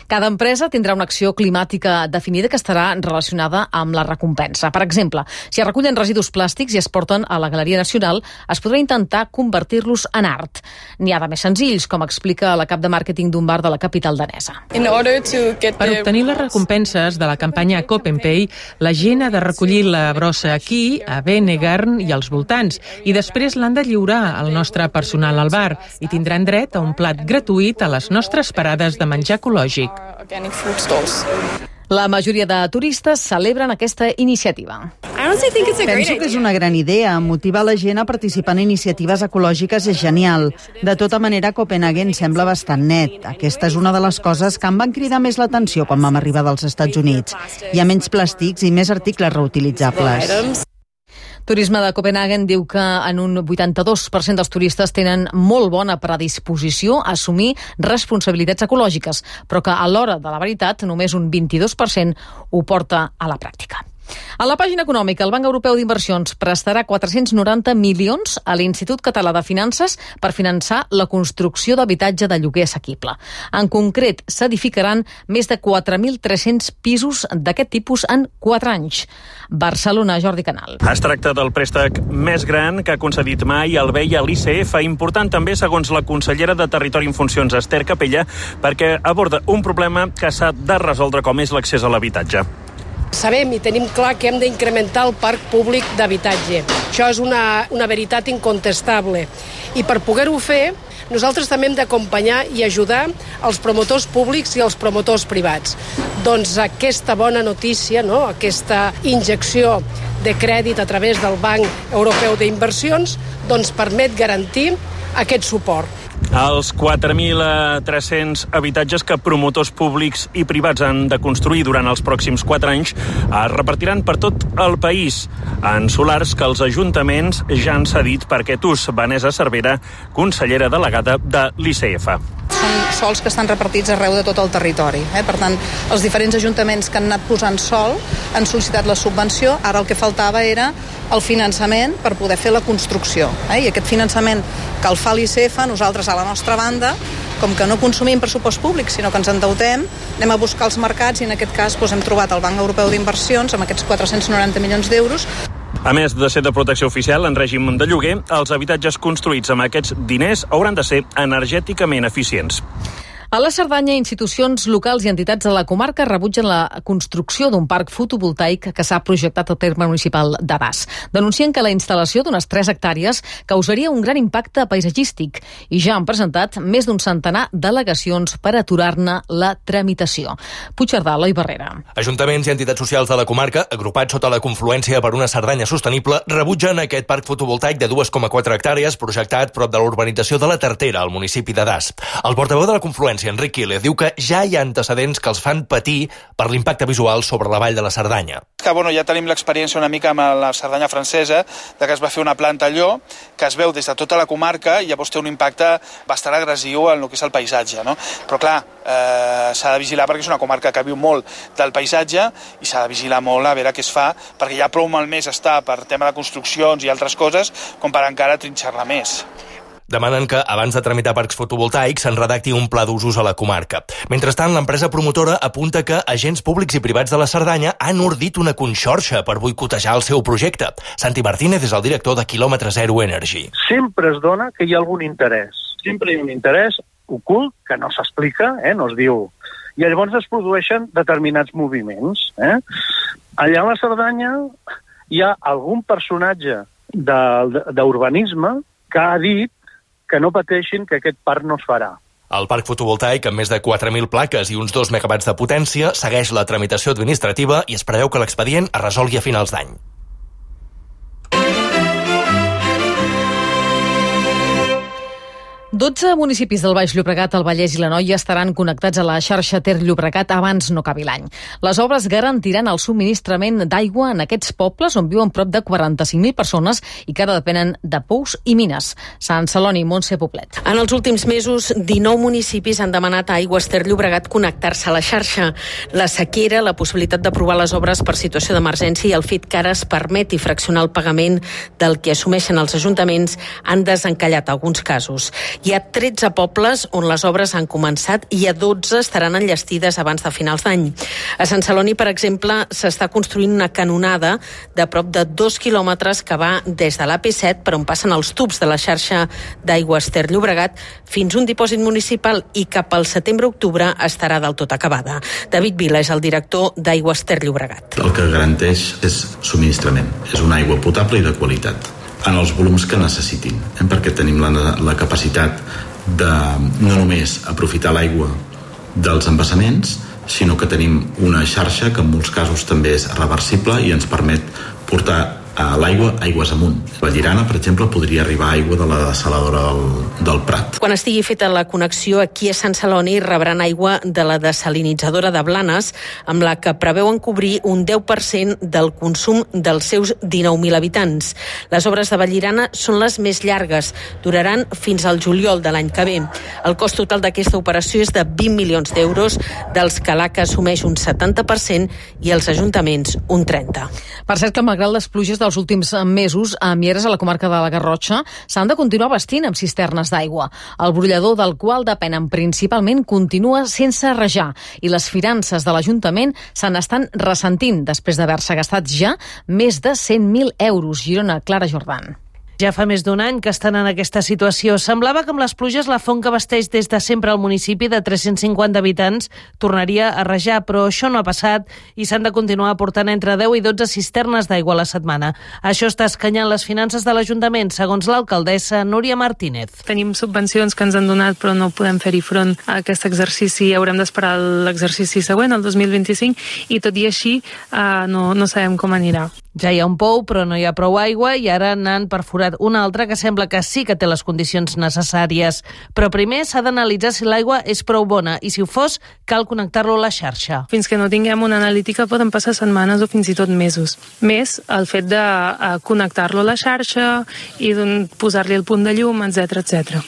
[SPEAKER 2] Cada empresa tindrà una acció climàtica definida que estarà relacionada amb la recompensa. Per exemple, si es recullen residus plàstics i es porten a la Galeria Nacional, es podrà intentar convertir-los en art. N'hi ha de més senzills, com explica la cap de màrqueting d'un bar de la capital danesa.
[SPEAKER 26] Per obtenir les recompenses de la campanya Copenpay, la gent ha de recollir la brossa aquí, a Venegarn i als voltants, i després l'han de lliurar al nostre personal al bar i tindran dret a un plat gratuït a les nostres parades de menjar ecològic.
[SPEAKER 2] La majoria de turistes celebren aquesta iniciativa.
[SPEAKER 27] Penso que és una gran idea. Motivar la gent a participar en iniciatives ecològiques és genial. De tota manera, Copenhagen sembla bastant net. Aquesta és una de les coses que em van cridar més l'atenció quan vam arribar dels Estats Units. Hi ha menys plàstics i més articles reutilitzables.
[SPEAKER 2] Turisme de Copenhagen diu que en un vuitanta-dos per cent dels turistes tenen molt bona predisposició a assumir responsabilitats ecològiques, però que a l'hora de la veritat només un vint-i-dos per cent ho porta a la pràctica. A la pàgina econòmica, el Banc Europeu d'Inversions prestarà quatre-cents noranta milions a l'Institut Català de Finances per finançar la construcció d'habitatge de lloguer assequible. En concret, s'edificaran més de quatre mil tres-cents pisos d'aquest tipus en quatre anys. Barcelona, Jordi Canal.
[SPEAKER 28] Es tracta del préstec més gran que ha concedit mai el B E I a l'I C F, important també, segons la consellera de Territori en funcions, Esther Capella, perquè aborda un problema que s'ha de resoldre, com és l'accés a l'habitatge.
[SPEAKER 29] Sabem i tenim clar que hem d'incrementar el parc públic d'habitatge. Això és una, una veritat incontestable. I per poder-ho fer, nosaltres també hem d'acompanyar i ajudar els promotors públics i els promotors privats. Doncs aquesta bona notícia, no? Aquesta injecció de crèdit a través del Banc Europeu d'Inversions, doncs permet garantir aquest suport.
[SPEAKER 28] Els quatre mil tres-cents habitatges que promotors públics i privats han de construir durant els pròxims quatre anys es repartiran per tot el país en solars que els ajuntaments ja han cedit per aquest ús. Vanessa Cervera, consellera delegada de l'I C F.
[SPEAKER 30] Són
[SPEAKER 10] sols que estan repartits arreu de tot el territori. Eh? Per tant, els diferents ajuntaments que han anat posant sol han sol·licitat la subvenció, ara el que faltava era el finançament per poder fer la construcció. Eh? I aquest finançament que el fa l'I C F, nosaltres a la nostra banda, com que no consumim pressupost públic, sinó que ens endeutem, anem a buscar els mercats i en aquest cas doncs, hem trobat el Banc Europeu d'Inversions amb aquests quatre-cents noranta milions d'euros.
[SPEAKER 28] A més de ser de protecció oficial en règim de lloguer, els habitatges construïts amb aquests diners hauran de ser energèticament eficients.
[SPEAKER 2] A la Cerdanya, institucions locals i entitats de la comarca rebutgen la construcció d'un parc fotovoltaic que s'ha projectat al terme municipal de Das. Denuncien que la instal·lació d'unes tres hectàrees causaria un gran impacte paisatgístic i ja han presentat més d'un centenar d'al·legacions per aturar-ne la tramitació. Puigcerdà, Eloi Barrera.
[SPEAKER 12] Ajuntaments i entitats socials de la comarca, agrupats sota la confluència per una Cerdanya sostenible, rebutgen aquest parc fotovoltaic de dues coma quatre hectàrees projectat prop de la urbanització de la Tartera, al municipi de Das. El portaveu de la confluència, Enric Quílez, diu que ja hi ha antecedents que els fan patir per l'impacte visual sobre la vall de la Cerdanya.
[SPEAKER 13] Que, bueno, ja tenim l'experiència una mica amb la Cerdanya francesa, de que es va fer una planta allò, que es veu des de tota la comarca i llavors té un impacte bastant agressiu en el que és el paisatge, no? Però clar, eh, s'ha de vigilar perquè és una comarca que viu molt del paisatge i s'ha de vigilar molt a veure què es fa, perquè ja prou malmès està per tema de construccions i altres coses com per encara trinxar-la més.
[SPEAKER 12] Demanen que, abans de tramitar parcs fotovoltaics, se'n redacti un pla d'usos a la comarca. Mentrestant, l'empresa promotora apunta que agents públics i privats de la Cerdanya han ordit una conxorxa per boicotejar el seu projecte. Santi Martínez és el director de Quilòmetre Zero Energy.
[SPEAKER 14] Sempre es dona que hi ha algun interès. Sempre hi ha un interès ocult que no s'explica, eh, no es diu. I llavors es produeixen determinats moviments. Eh? Allà a la Cerdanya hi ha algun personatge d'urbanisme que ha dit que no pateixin que aquest parc no es farà.
[SPEAKER 12] El parc fotovoltaic, amb més de quatre mil plaques i uns dos megawatts de potència, segueix la tramitació administrativa i es preveu que l'expedient es resolgui a finals d'any.
[SPEAKER 2] dotze municipis del Baix Llobregat, el Vallès i l'Anoia estaran connectats a la xarxa Ter Llobregat abans no acabi l'any. Les obres garantiran el subministrament d'aigua en aquests pobles on viuen prop de quaranta-cinc mil persones i que ara depenen de pous i mines. Sant Celoni, Montse Poblet.
[SPEAKER 15] En els últims mesos, dinou municipis han demanat a Aigües Ter Llobregat connectar-se a la xarxa. La sequera, la possibilitat d'aprovar les obres per situació d'emergència i el fet que ara es permeti fraccionar el pagament del que assumeixen els ajuntaments han desencallat alguns casos. Hi ha tretze pobles on les obres han començat i a dotze estaran enllestides abans de finals d'any. A Sant Celoni, per exemple, s'està construint una canonada de prop de dos quilòmetres que va des de l'A P set, per on passen els tubs de la xarxa d'Aigües Ter Llobregat, fins un dipòsit municipal i cap al setembre-octubre estarà del tot acabada. David Vila és el director d'Aigües Ter Llobregat.
[SPEAKER 16] El que garanteix és subministrament. És una aigua potable i de qualitat, en els volums que necessitin, eh? perquè tenim la, la capacitat de no només aprofitar l'aigua dels embassaments, sinó que tenim una xarxa que en molts casos també és reversible i ens permet portar a l'aigua aigües amunt. La Llerana, per exemple, podria arribar aigua de la desaladora del, del Prat.
[SPEAKER 15] Quan estigui feta la connexió aquí a Sant Celoni rebran aigua de la desalinitzadora de Blanes, amb la que preveuen cobrir un deu per cent del consum dels seus dinou mil habitants. Les obres de Vallirana són les més llargues, duraran fins al juliol de l'any que ve. El cost total d'aquesta operació és de vint milions d'euros, dels que l'A C A assumeix un setanta per cent i els ajuntaments un trenta per cent.
[SPEAKER 2] Per cert que malgrat les pluges dels últims mesos, a Mieres, a la comarca de la Garrotxa, s'han de continuar vestint amb cisternes d'aigua. El brollador del qual depenen principalment continua sense rajar i les finances de l'Ajuntament se n'estan ressentint després d'haver-se gastat ja més de cent mil euros. Girona, Clara Jordan.
[SPEAKER 17] Ja fa més d'un any que estan en aquesta situació. Semblava que amb les pluges la font que abasteix des de sempre al municipi de tres-cents cinquanta habitants tornaria a rajar, però això no ha passat i s'han de continuar aportant entre deu i dotze cisternes d'aigua a la setmana. Això està escanyant les finances de l'Ajuntament, segons l'alcaldessa Núria Martínez.
[SPEAKER 19] Tenim subvencions que ens han donat però no podem fer-hi front a aquest exercici. Haurem d'esperar l'exercici següent, el dos mil vint-i-cinc, i tot i així eh, no, no sabem com anirà.
[SPEAKER 17] Ja hi ha un pou, però no hi ha prou aigua i ara n'han perforat una altra que sembla que sí que té les condicions necessàries. Però primer s'ha d'analitzar si l'aigua és prou bona i si ho fos, cal connectar-lo a la xarxa.
[SPEAKER 19] Fins que no tinguem una analítica poden passar setmanes o fins i tot mesos. Més el fet de uh, connectar-lo a la xarxa i posar-li el punt de llum, etcètera, etcètera.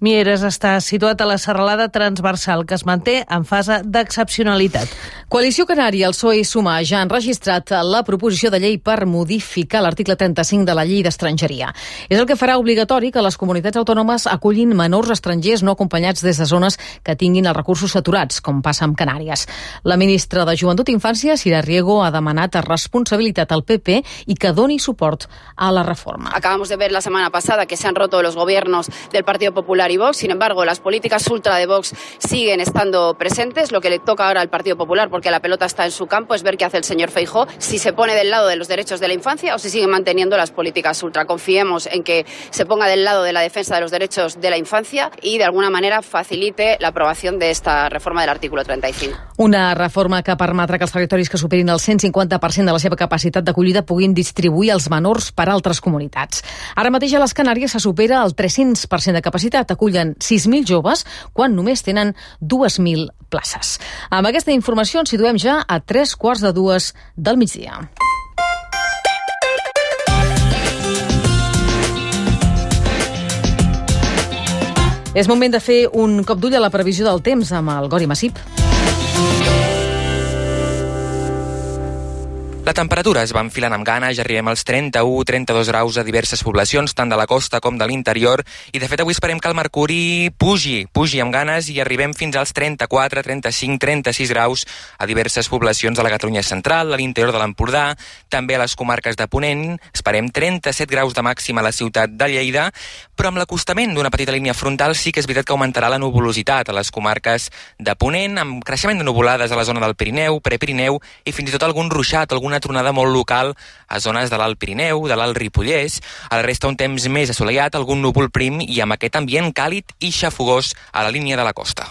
[SPEAKER 17] Mieres està situat a la serralada transversal, que es manté en fase d'excepcionalitat.
[SPEAKER 2] Coalició Canària, el P S O E i Sumar ja han registrat la proposició de llei per modificar l'article trenta-cinc de la llei d'estrangeria. És el que farà obligatori que les comunitats autònomes acullin menors estrangers no acompanyats des de zones que tinguin els recursos saturats, com passa amb Canàries. La ministra de Joventut i Infància, Sira Riego, ha demanat responsabilitat al P P i que doni suport a la reforma.
[SPEAKER 1] Acabamos de ver la semana pasada que se han roto los gobiernos del Partido Popular y Vox. Sin embargo, las políticas ultra de Vox siguen estando presentes. Lo que le toca ahora al Partido Popular, porque la pelota está en su campo, es ver qué hace el señor Feijóo, si se pone del lado de los derechos de la infancia o si sigue manteniendo las políticas ultra. Confiemos en que se ponga del lado de la defensa de los derechos de la infancia y, de alguna manera, facilite la aprobación de esta reforma del artículo treinta y cinco.
[SPEAKER 2] Una reforma que permetrà que els territoris que superin el cent cinquanta per cent de la seva capacitat d'acollida puguin distribuir els menors per altres comunitats. Ara mateix a les Canàries se supera el tres-cents per cent de capacitat. Acullen sis mil joves quan només tenen dues mil places. Amb aquesta informació ens situem ja a tres quarts de dues del migdia. És moment de fer un cop d'ull a la previsió del temps amb el Gori Massip.
[SPEAKER 3] La temperatura es va enfilant amb ganes, ja arribem als trenta-u trenta-dos graus a diverses poblacions, tant de la costa com de l'interior, i de fet avui esperem que el mercuri pugi, pugi amb ganes i arribem fins als trenta-quatre, trenta-cinc, trenta-sis graus a diverses poblacions de la Catalunya central, a l'interior de l'Empordà, també a les comarques de Ponent, esperem trenta-set graus de màxima a la ciutat de Lleida, però amb l'acostament d'una petita línia frontal sí que és veritat que augmentarà la nuvolositat a les comarques de Ponent, amb creixement de nuvolades a la zona del Pirineu, Prepirineu i fins i tot algun ruixat, alguna tronada molt local a zones de l'Alt Pirineu, de l'Alt Ripollès. A la resta un temps més assolellat, algun núvol prim i amb aquest ambient càlid i xafogós a la línia de la costa.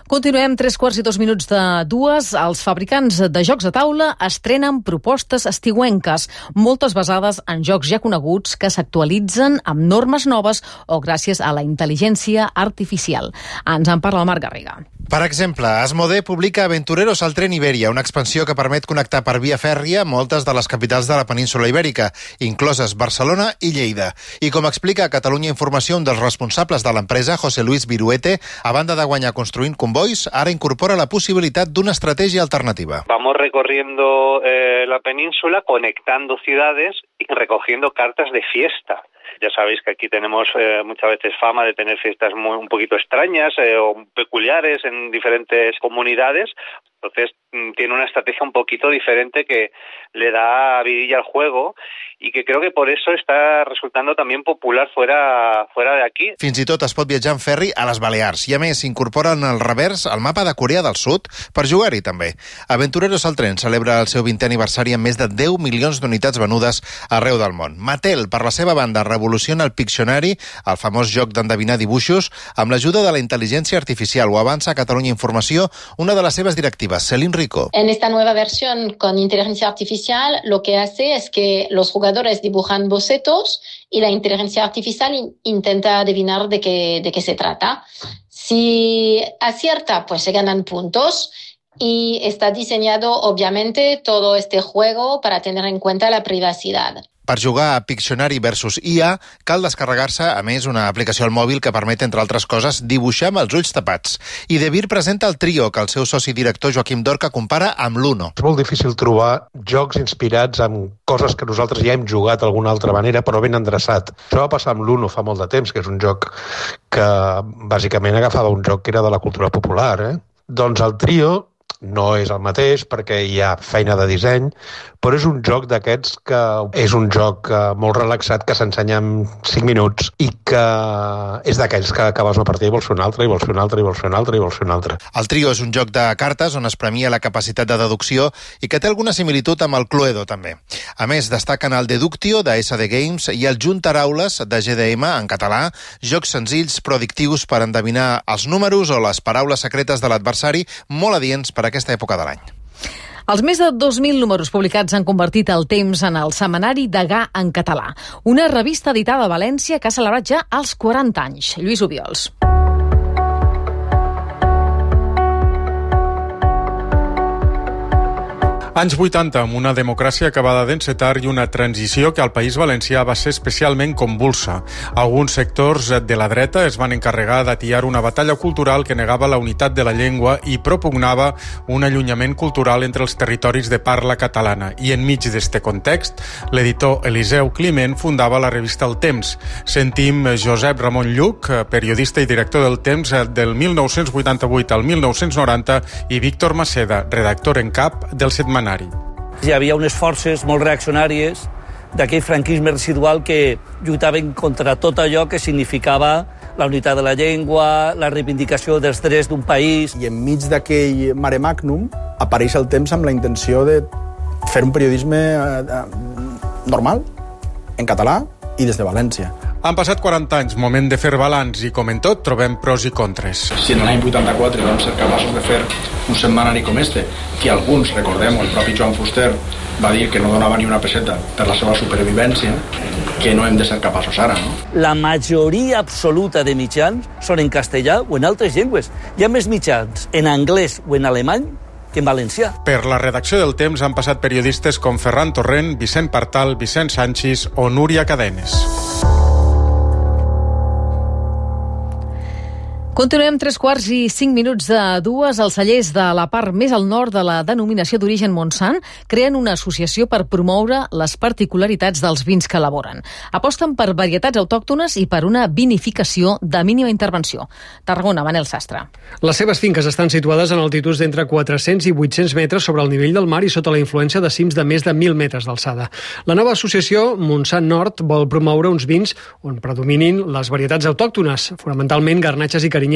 [SPEAKER 2] Continuem tres quarts i dos minuts de dues. Els fabricants de jocs de taula estrenen propostes estiuenques, moltes basades en jocs ja coneguts que s'actualitzen amb normes noves o gràcies a la intel·ligència artificial. Ens en parla el Marc Garriga.
[SPEAKER 18] Per exemple, Asmodee publica Aventureros al tren Iberia, una expansió que permet connectar per via fèrria moltes de les capitals de la península ibèrica, incloses Barcelona i Lleida. I com explica a Catalunya Informació un dels responsables de l'empresa, José Luis Viruete, a banda de guanyar construint convois, ara incorpora la possibilitat d'una estratègia alternativa.
[SPEAKER 20] Vamos recorriendo eh, la península, conectando ciudades y recogiendo cartas de fiesta. Ya sabéis que aquí tenemos eh, muchas veces fama de tener fiestas muy, un poquito extrañas eh, o peculiares en diferentes comunidades. Entonces tiene una estrategia un poquito diferente que le da vidilla al juego y que creo que por eso está resultando también popular fuera, fuera de aquí.
[SPEAKER 18] Fins i tot es pot viatjar en ferri a les Balears i a més s'incorporen al revers el mapa de Corea del Sud per jugar-hi també. Aventureros al tren celebra el seu vintè aniversari amb més de deu milions d'unitats venudes arreu del món. Mattel, per la seva banda, revoluciona el Pictionary, el famós joc d'endevinar dibuixos, amb l'ajuda de la intel·ligència artificial. Ho avança a Catalunya Informació una de les seves directives, Celine Rico.
[SPEAKER 21] En esta nueva versión con inteligencia artificial lo que hace es que los jugadores dibujan bocetos y la inteligencia artificial in- intenta adivinar de qué, de qué se trata. Si acierta, pues se ganan puntos y está diseñado obviamente todo este juego para tener en cuenta la privacidad.
[SPEAKER 18] Per jugar a Pictionary versus I A cal descarregar-se, a més, una aplicació al mòbil que permet, entre altres coses, dibuixar amb els ulls tapats. I De Beer presenta el Trio, que el seu soci director Joaquim Dorca compara amb l'Uno.
[SPEAKER 22] És molt difícil trobar jocs inspirats en coses que nosaltres ja hem jugat d'alguna altra manera, però ben endreçat. Això va passar amb l'Uno fa molt de temps, que és un joc que bàsicament agafava un joc que era de la cultura popular. Eh? Doncs el Trio no és el mateix perquè hi ha feina de disseny, però és un joc d'aquests que és un joc molt relaxat que s'ensenya en cinc minuts i que és d'aquells que acabes una partida i vols fer una altra, i vols fer una altra, i vols fer una altra, i vols fer una altra.
[SPEAKER 18] El Trio és un joc de cartes on es premia la capacitat de deducció i que té alguna similitud amb el Cluedo, també. A més, destaquen el Deductio, de S D Games, i el Juntaraules, de G D M, en català, jocs senzills però addictius per endevinar els números o les paraules secretes de l'adversari, molt adients per aquesta època de l'any.
[SPEAKER 2] Els més de dos mil números publicats han convertit el temps en el setmanari Degà en català, una revista editada a València que ha celebrat ja els quaranta anys. Lluís Obiols.
[SPEAKER 4] Anys vuitanta, amb una democràcia acabada d'encetar i una transició que al País Valencià va ser especialment convulsa. Alguns sectors de la dreta es van encarregar d'atiar una batalla cultural que negava la unitat de la llengua i propugnava un allunyament cultural entre els territoris de parla catalana. I enmig d'este context, l'editor Eliseu Climent fundava la revista El Temps. Sentim Josep Ramon Lluc, periodista i director del Temps del mil nou-cents vuitanta-vuit al mil nou-cents noranta, i Víctor Maceda, redactor en cap del setmanari.
[SPEAKER 5] Hi havia unes forces molt reaccionàries d'aquell franquisme residual que lluitaven contra tot allò que significava la unitat de la llengua, la reivindicació dels drets d'un país.
[SPEAKER 6] I enmig d'aquell mare magnum apareix El Temps amb la intenció de fer un periodisme eh, normal, en català i des de València.
[SPEAKER 4] Han passat quaranta anys, moment de fer balanç, i com en tot trobem pros i contres.
[SPEAKER 6] Si en l'any vuitanta-quatre vam ser capaços de fer un setmanari com este, que alguns, recordem, el propi Joan Fuster va dir que no donava ni una peseta per la seva supervivència, que no hem de ser capaços ara, no?
[SPEAKER 5] La majoria absoluta de mitjans són en castellà o en altres llengües. Hi ha més mitjans en anglès o en alemany que en valencià.
[SPEAKER 4] Per la redacció del Temps han passat periodistes com Ferran Torrent, Vicent Partal, Vicent Sanchis o Núria Cadenes.
[SPEAKER 2] Continuem tres quarts i cinc minuts de dues. Els cellers de la part més al nord de la denominació d'origen Montsant creen una associació per promoure les particularitats dels vins que elaboren. Aposten per varietats autòctones i per una vinificació de mínima intervenció. Tarragona, Manel Sastre.
[SPEAKER 7] Les seves finques estan situades en altituds d'entre quatre-cents i vuit-cents metres sobre el nivell del mar i sota la influència de cims de més de mil metres d'alçada. La nova associació Montsant Nord vol promoure uns vins on predominin les varietats autòctones, fonamentalment garnatxes i carinyeres.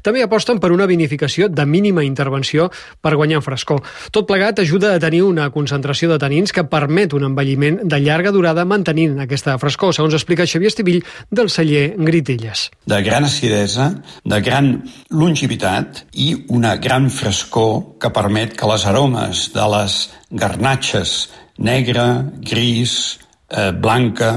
[SPEAKER 7] També aposten per una vinificació de mínima intervenció per guanyar en frescor. Tot plegat ajuda a tenir una concentració de tanins que permet un envelliment de llarga durada mantenint aquesta frescor, segons explica Xavier Estivill del celler Gritelles.
[SPEAKER 8] De gran acidesa, de gran longevitat i una gran frescor que permet que les aromes de les garnatxes negra, gris, eh, blanca,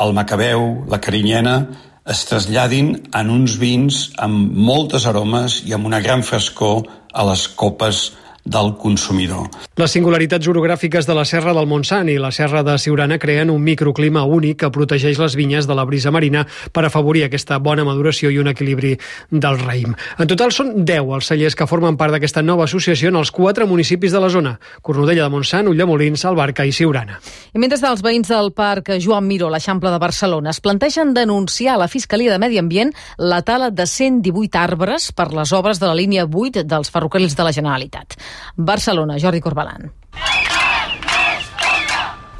[SPEAKER 8] el macabeu, la carinyena, es traslladin en uns vins amb moltes aromes i amb una gran frescor a les copes del consumidor.
[SPEAKER 7] Les singularitats orogràfiques de la Serra del Montsant i la Serra de Siurana creen un microclima únic que protegeix les vinyes de la brisa marina per afavorir aquesta bona maduració i un equilibri del raïm. En total són deu els cellers que formen part d'aquesta nova associació en els quatre municipis de la zona: Cornudella de Montsant, Ulldemolins, Albarca i Siurana.
[SPEAKER 2] I mentre els veïns del Parc Joan Miró, a l'Eixample de Barcelona, es plantegen denunciar a la Fiscalia de Medi Ambient la tala de cent divuit arbres per les obres de la línia vuit dels ferrocarrils de la Generalitat. Barcelona, Jordi Corbalan.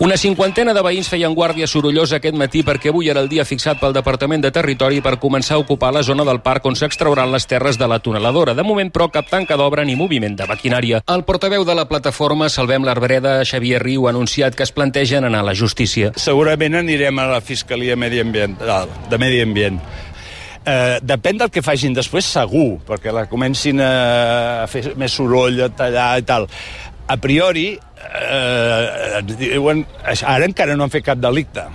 [SPEAKER 9] Una cinquantena de veïns feien guàrdia sorollosa aquest matí perquè avui era el dia fixat pel Departament de Territori per començar a ocupar la zona del parc on s'extrauran les terres de la tuneladora. De moment, però, cap tanca d'obra ni moviment de maquinària. El portaveu de la plataforma Salvem l'Arbreda, Xavier Riu, ha anunciat que es plantegen anar a la justícia.
[SPEAKER 23] Segurament anirem a la Fiscalia Mediambiental, de Medi Ambient. Eh, depèn del que facin després, segur, perquè la comencin a fer més soroll, a tallar i tal. A priori, eh, diuen, ara encara no han fet cap delicte.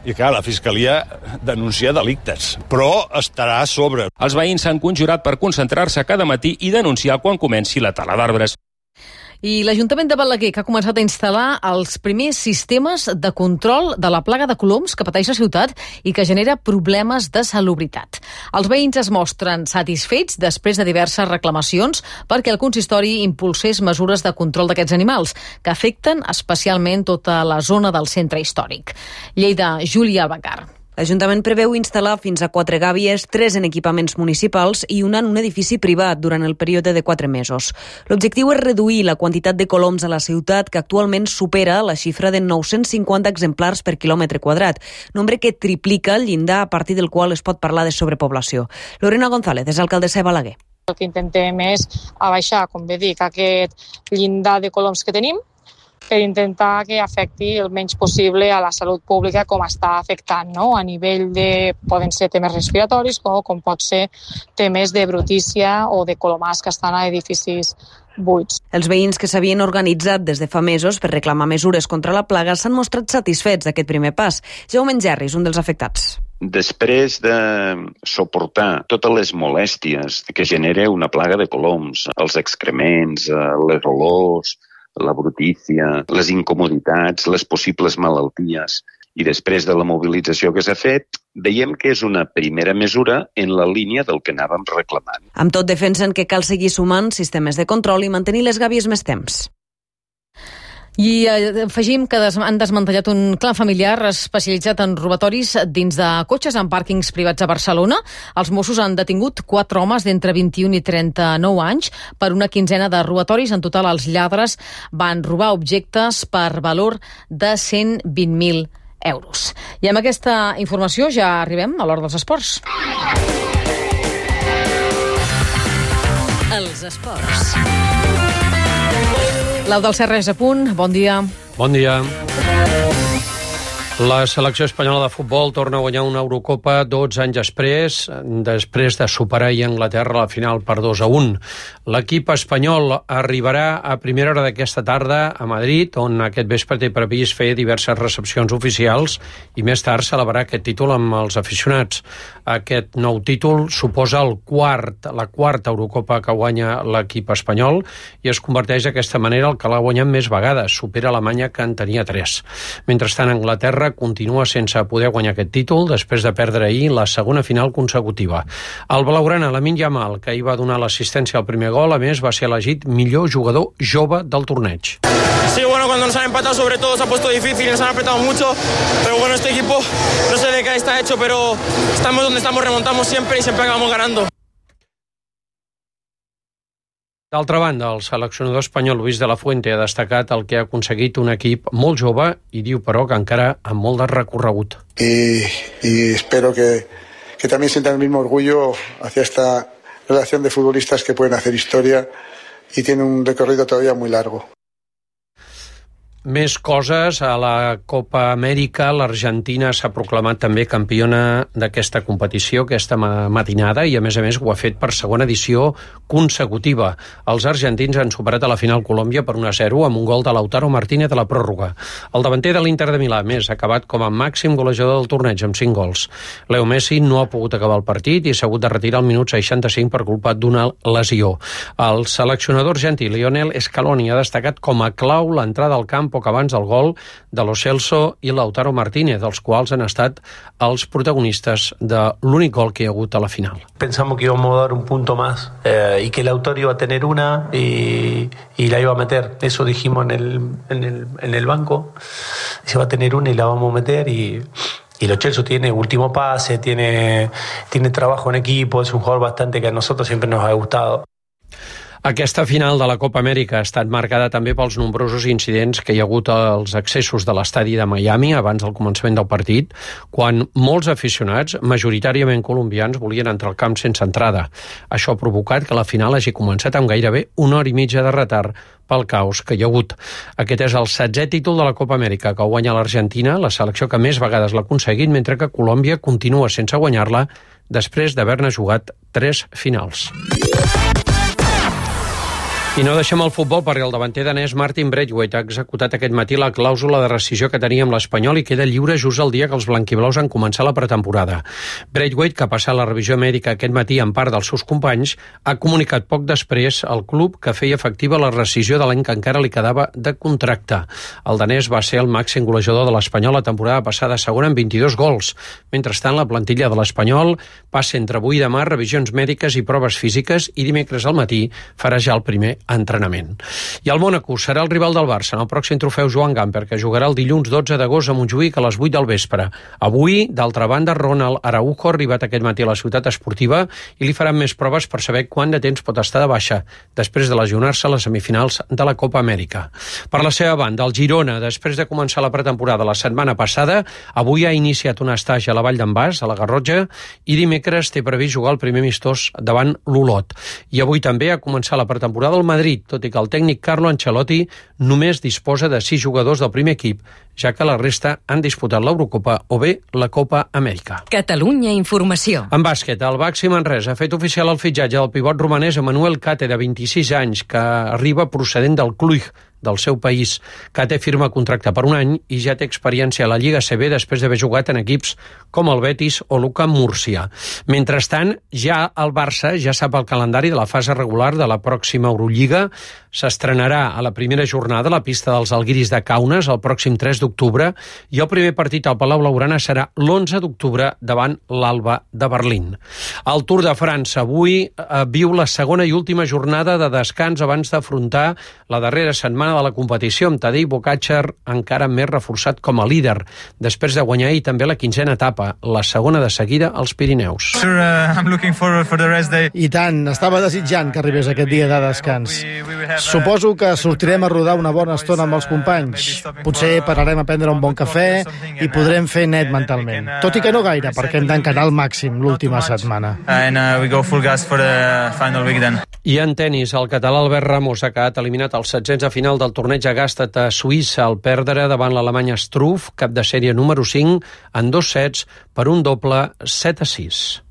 [SPEAKER 23] I clar, la Fiscalia denuncia delictes, però estarà a sobre.
[SPEAKER 9] Els veïns s'han conjurat per concentrar-se cada matí i denunciar quan comenci la tala d'arbres.
[SPEAKER 2] I l'Ajuntament de Balaguer, que ha començat a instal·lar els primers sistemes de control de la plaga de coloms que pateix la ciutat i que genera problemes de salubritat. Els veïns es mostren satisfets després de diverses reclamacions perquè el consistori impulsés mesures de control d'aquests animals, que afecten especialment tota la zona del centre històric. Lleida, Júlia Albacar.
[SPEAKER 24] L'Ajuntament preveu instal·lar fins a quatre gàbies, tres en equipaments municipals i una en un edifici privat durant el període de quatre mesos. L'objectiu és reduir la quantitat de coloms a la ciutat, que actualment supera la xifra de nou-cents cinquanta exemplars per quilòmetre quadrat, nombre que triplica el llindar a partir del qual es pot parlar de sobrepoblació. Lorena González és alcaldessa de Balaguer.
[SPEAKER 25] El que intentem és abaixar, com bé dic, aquest llindar de coloms que tenim, per intentar que afecti el menys possible a la salut pública com està afectant, no? A nivell de, poden ser temes respiratoris o com pot ser temes de brutícia o de colomars que estan a edificis buits.
[SPEAKER 24] Els veïns que s'havien organitzat des de fa mesos per reclamar mesures contra la plaga s'han mostrat satisfets d'aquest primer pas. Jaume Engerri és un dels afectats.
[SPEAKER 30] Després de suportar totes les molèsties que genera una plaga de coloms, els excrements, les olors, la brutícia, les incomoditats, les possibles malalties. I després de la mobilització que s'ha fet, veiem que és una primera mesura en la línia del que anàvem reclamant.
[SPEAKER 24] Amb tot, defensen que cal seguir sumant sistemes de control i mantenir les gàbies més temps.
[SPEAKER 2] I afegim que han desmantellat un clan familiar especialitzat en robatoris dins de cotxes en pàrquings privats a Barcelona. Els Mossos han detingut quatre homes d'entre vint-i-un i trenta-nou anys per una quinzena de robatoris. En total, els lladres van robar objectes per valor de cent vint mil euros. I amb aquesta informació ja arribem a l'hora dels esports.
[SPEAKER 10] Els esports.
[SPEAKER 2] L'Eudald Serra és a punt. Bon dia.
[SPEAKER 11] Bon dia. La selecció espanyola de futbol torna a guanyar una Eurocopa dotze anys després, després de superar a Anglaterra a la final per dos a un. L'equip espanyol arribarà a primera hora d'aquesta tarda a Madrid, on aquest vespre té previst fer diverses recepcions oficials i més tard celebrar aquest títol amb els aficionats. Aquest nou títol suposa el quart, la quarta Eurocopa que guanya l'equip espanyol i es converteix d'aquesta manera el que l'ha guanyat més vegades, supera Alemanya, que en tenia tres. Mentrestant, Anglaterra continua sense poder guanyar aquest títol després de perdre ahir la segona final consecutiva. El blaugrana, Lamine Yamal, que ahir va donar l'assistència al primer gol, a més va ser elegit millor jugador jove del torneig.
[SPEAKER 12] Sí, bueno, cuando nos han empatado sobre todo se ha puesto difícil, nos han apretado mucho, pero bueno, este equipo no sé de qué está hecho, pero estamos donde estamos, remontamos siempre y siempre acabamos ganando.
[SPEAKER 11] D'altra banda, el seleccionador espanyol Luis de la Fuente ha destacat el que ha aconseguit un equip molt jove i diu, però, que encara amb molt de recorregut.
[SPEAKER 13] Y, y espero que, que también sientan el mismo orgullo hacia esta relación de futbolistas que pueden hacer historia y tienen un recorrido todavía muy largo.
[SPEAKER 11] Més coses, a la Copa Amèrica l'Argentina s'ha proclamat també campiona d'aquesta competició aquesta matinada i a més a més ho ha fet per segona edició consecutiva. Els argentins han superat a la final Colòmbia per un a zero amb un gol de Lautaro Martínez a la pròrroga. El davanter de l'Inter de Milà, més, ha acabat com a màxim golejador del torneig amb cinc gols. Leo Messi no ha pogut acabar el partit i s'ha hagut de retirar al minut seixanta-cinc per culpa d'una lesió. El seleccionador argentí Lionel Scaloni ha destacat com a clau l'entrada al camp poc abans del gol de Lo Celso i Lautaro Martínez, els quals han estat els protagonistes de l'únic gol que hi ha hagut a la final.
[SPEAKER 14] Pensamos que íbamos a dar un punto más eh, y que Lautaro iba a tener una y, y la iba a meter. Eso dijimos en el, en el, en el banco. Se va a tener una y la vamos a meter y... Y Lo Celso tiene último pase, tiene, tiene trabajo en equipo, es un jugador bastante que a nosotros siempre nos ha gustado.
[SPEAKER 11] Aquesta final de la Copa Amèrica ha estat marcada també pels nombrosos incidents que hi ha hagut als accessos de l'estadi de Miami abans del començament del partit, quan molts aficionats, majoritàriament colombians, volien entrar al camp sense entrada. Això ha provocat que la final hagi començat amb gairebé una hora i mitja de retard pel caos que hi ha hagut. Aquest és el setzè títol de la Copa Amèrica que guanya l'Argentina, la selecció que més vegades l'ha aconseguit, mentre que Colòmbia continua sense guanyar-la després d'haver-ne jugat tres finals. I no deixem el futbol perquè el davanter danès Martin Braithwaite ha executat aquest matí la clàusula de rescissió que tenia amb l'Espanyol i queda lliure just el dia que els blanquiblaus han començat la pretemporada. Braithwaite, que ha passat la revisió mèdica aquest matí en part dels seus companys, ha comunicat poc després al club que feia efectiva la rescissió de l'any que encara li quedava de contracte. El danès va ser el màxim golejador de l'Espanyol la temporada passada segona amb vint-i-dos gols. Mentrestant, la plantilla de l'Espanyol passa entre avui i demà revisions mèdiques i proves físiques i dimecres al matí farà ja el primer entrenament. I el Mónaco serà el rival del Barça en el pròxim trofeu Joan Gamper, que jugarà el dilluns dotze d'agost a Montjuïc a les vuit del vespre. Avui, d'altra banda, Ronald Araujo ha arribat aquest matí a la ciutat esportiva i li faran més proves per saber quant de temps pot estar de baixa després de lesionar-se a les semifinals de la Copa Amèrica. Per la seva banda, el Girona, després de començar la pretemporada la setmana passada, avui ha iniciat un estatge a la Vall d'en Bas, a la Garrotxa, i dimecres té previst jugar el primer amistós davant l'Olot. I avui també ha començat la pretemporada al Madrid, tot i que el tècnic Carlo Ancelotti només disposa de sis jugadors del primer equip, ja que la resta han disputat l'Eurocopa o bé la Copa Amèrica.
[SPEAKER 10] Catalunya Informació.
[SPEAKER 11] En bàsquet, el Baxi Manresa ha fet oficial el fitxatge del pivot romanès Emmanuel Cate, de vint-i-sis anys, que arriba procedent del Cluj, del seu país. Kate firma contracte per un any i ja té experiència a la Lliga C B després d'haver jugat en equips com el Betis o l'U C A M Múrcia. Mentrestant, ja el Barça ja sap el calendari de la fase regular de la pròxima Eurolliga. S'estrenarà a la primera jornada a la pista dels Alguiris de Kaunas el pròxim tres d'octubre i el primer partit al Palau Blaugrana serà l'onze d'octubre davant l'Alba de Berlín. El Tour de França avui eh, viu la segona i última jornada de descans abans d'afrontar la darrera setmana de la competició, amb Tadej Pogačar encara més reforçat com a líder, després de guanyar ahir també la quinzena etapa, la segona de seguida als Pirineus.
[SPEAKER 1] Sure, uh, I'm looking forward for the rest day.
[SPEAKER 3] I tant, estava desitjant que arribés aquest dia de descans. Suposo que sortirem a rodar una bona estona amb els companys. Potser pararem a prendre un bon cafè i podrem fer net mentalment. Tot i que no gaire, perquè hem d'encarar al màxim l'última setmana.
[SPEAKER 1] And uh, we go full gas for the final week then.
[SPEAKER 11] I en tenis, el català Albert Ramos ha quedat eliminat als setzents de final del torneig a Gstaad a Suïssa al perdre davant l'alemany Struff, cap de sèrie número cinc, en dos sets per un doble set a sis.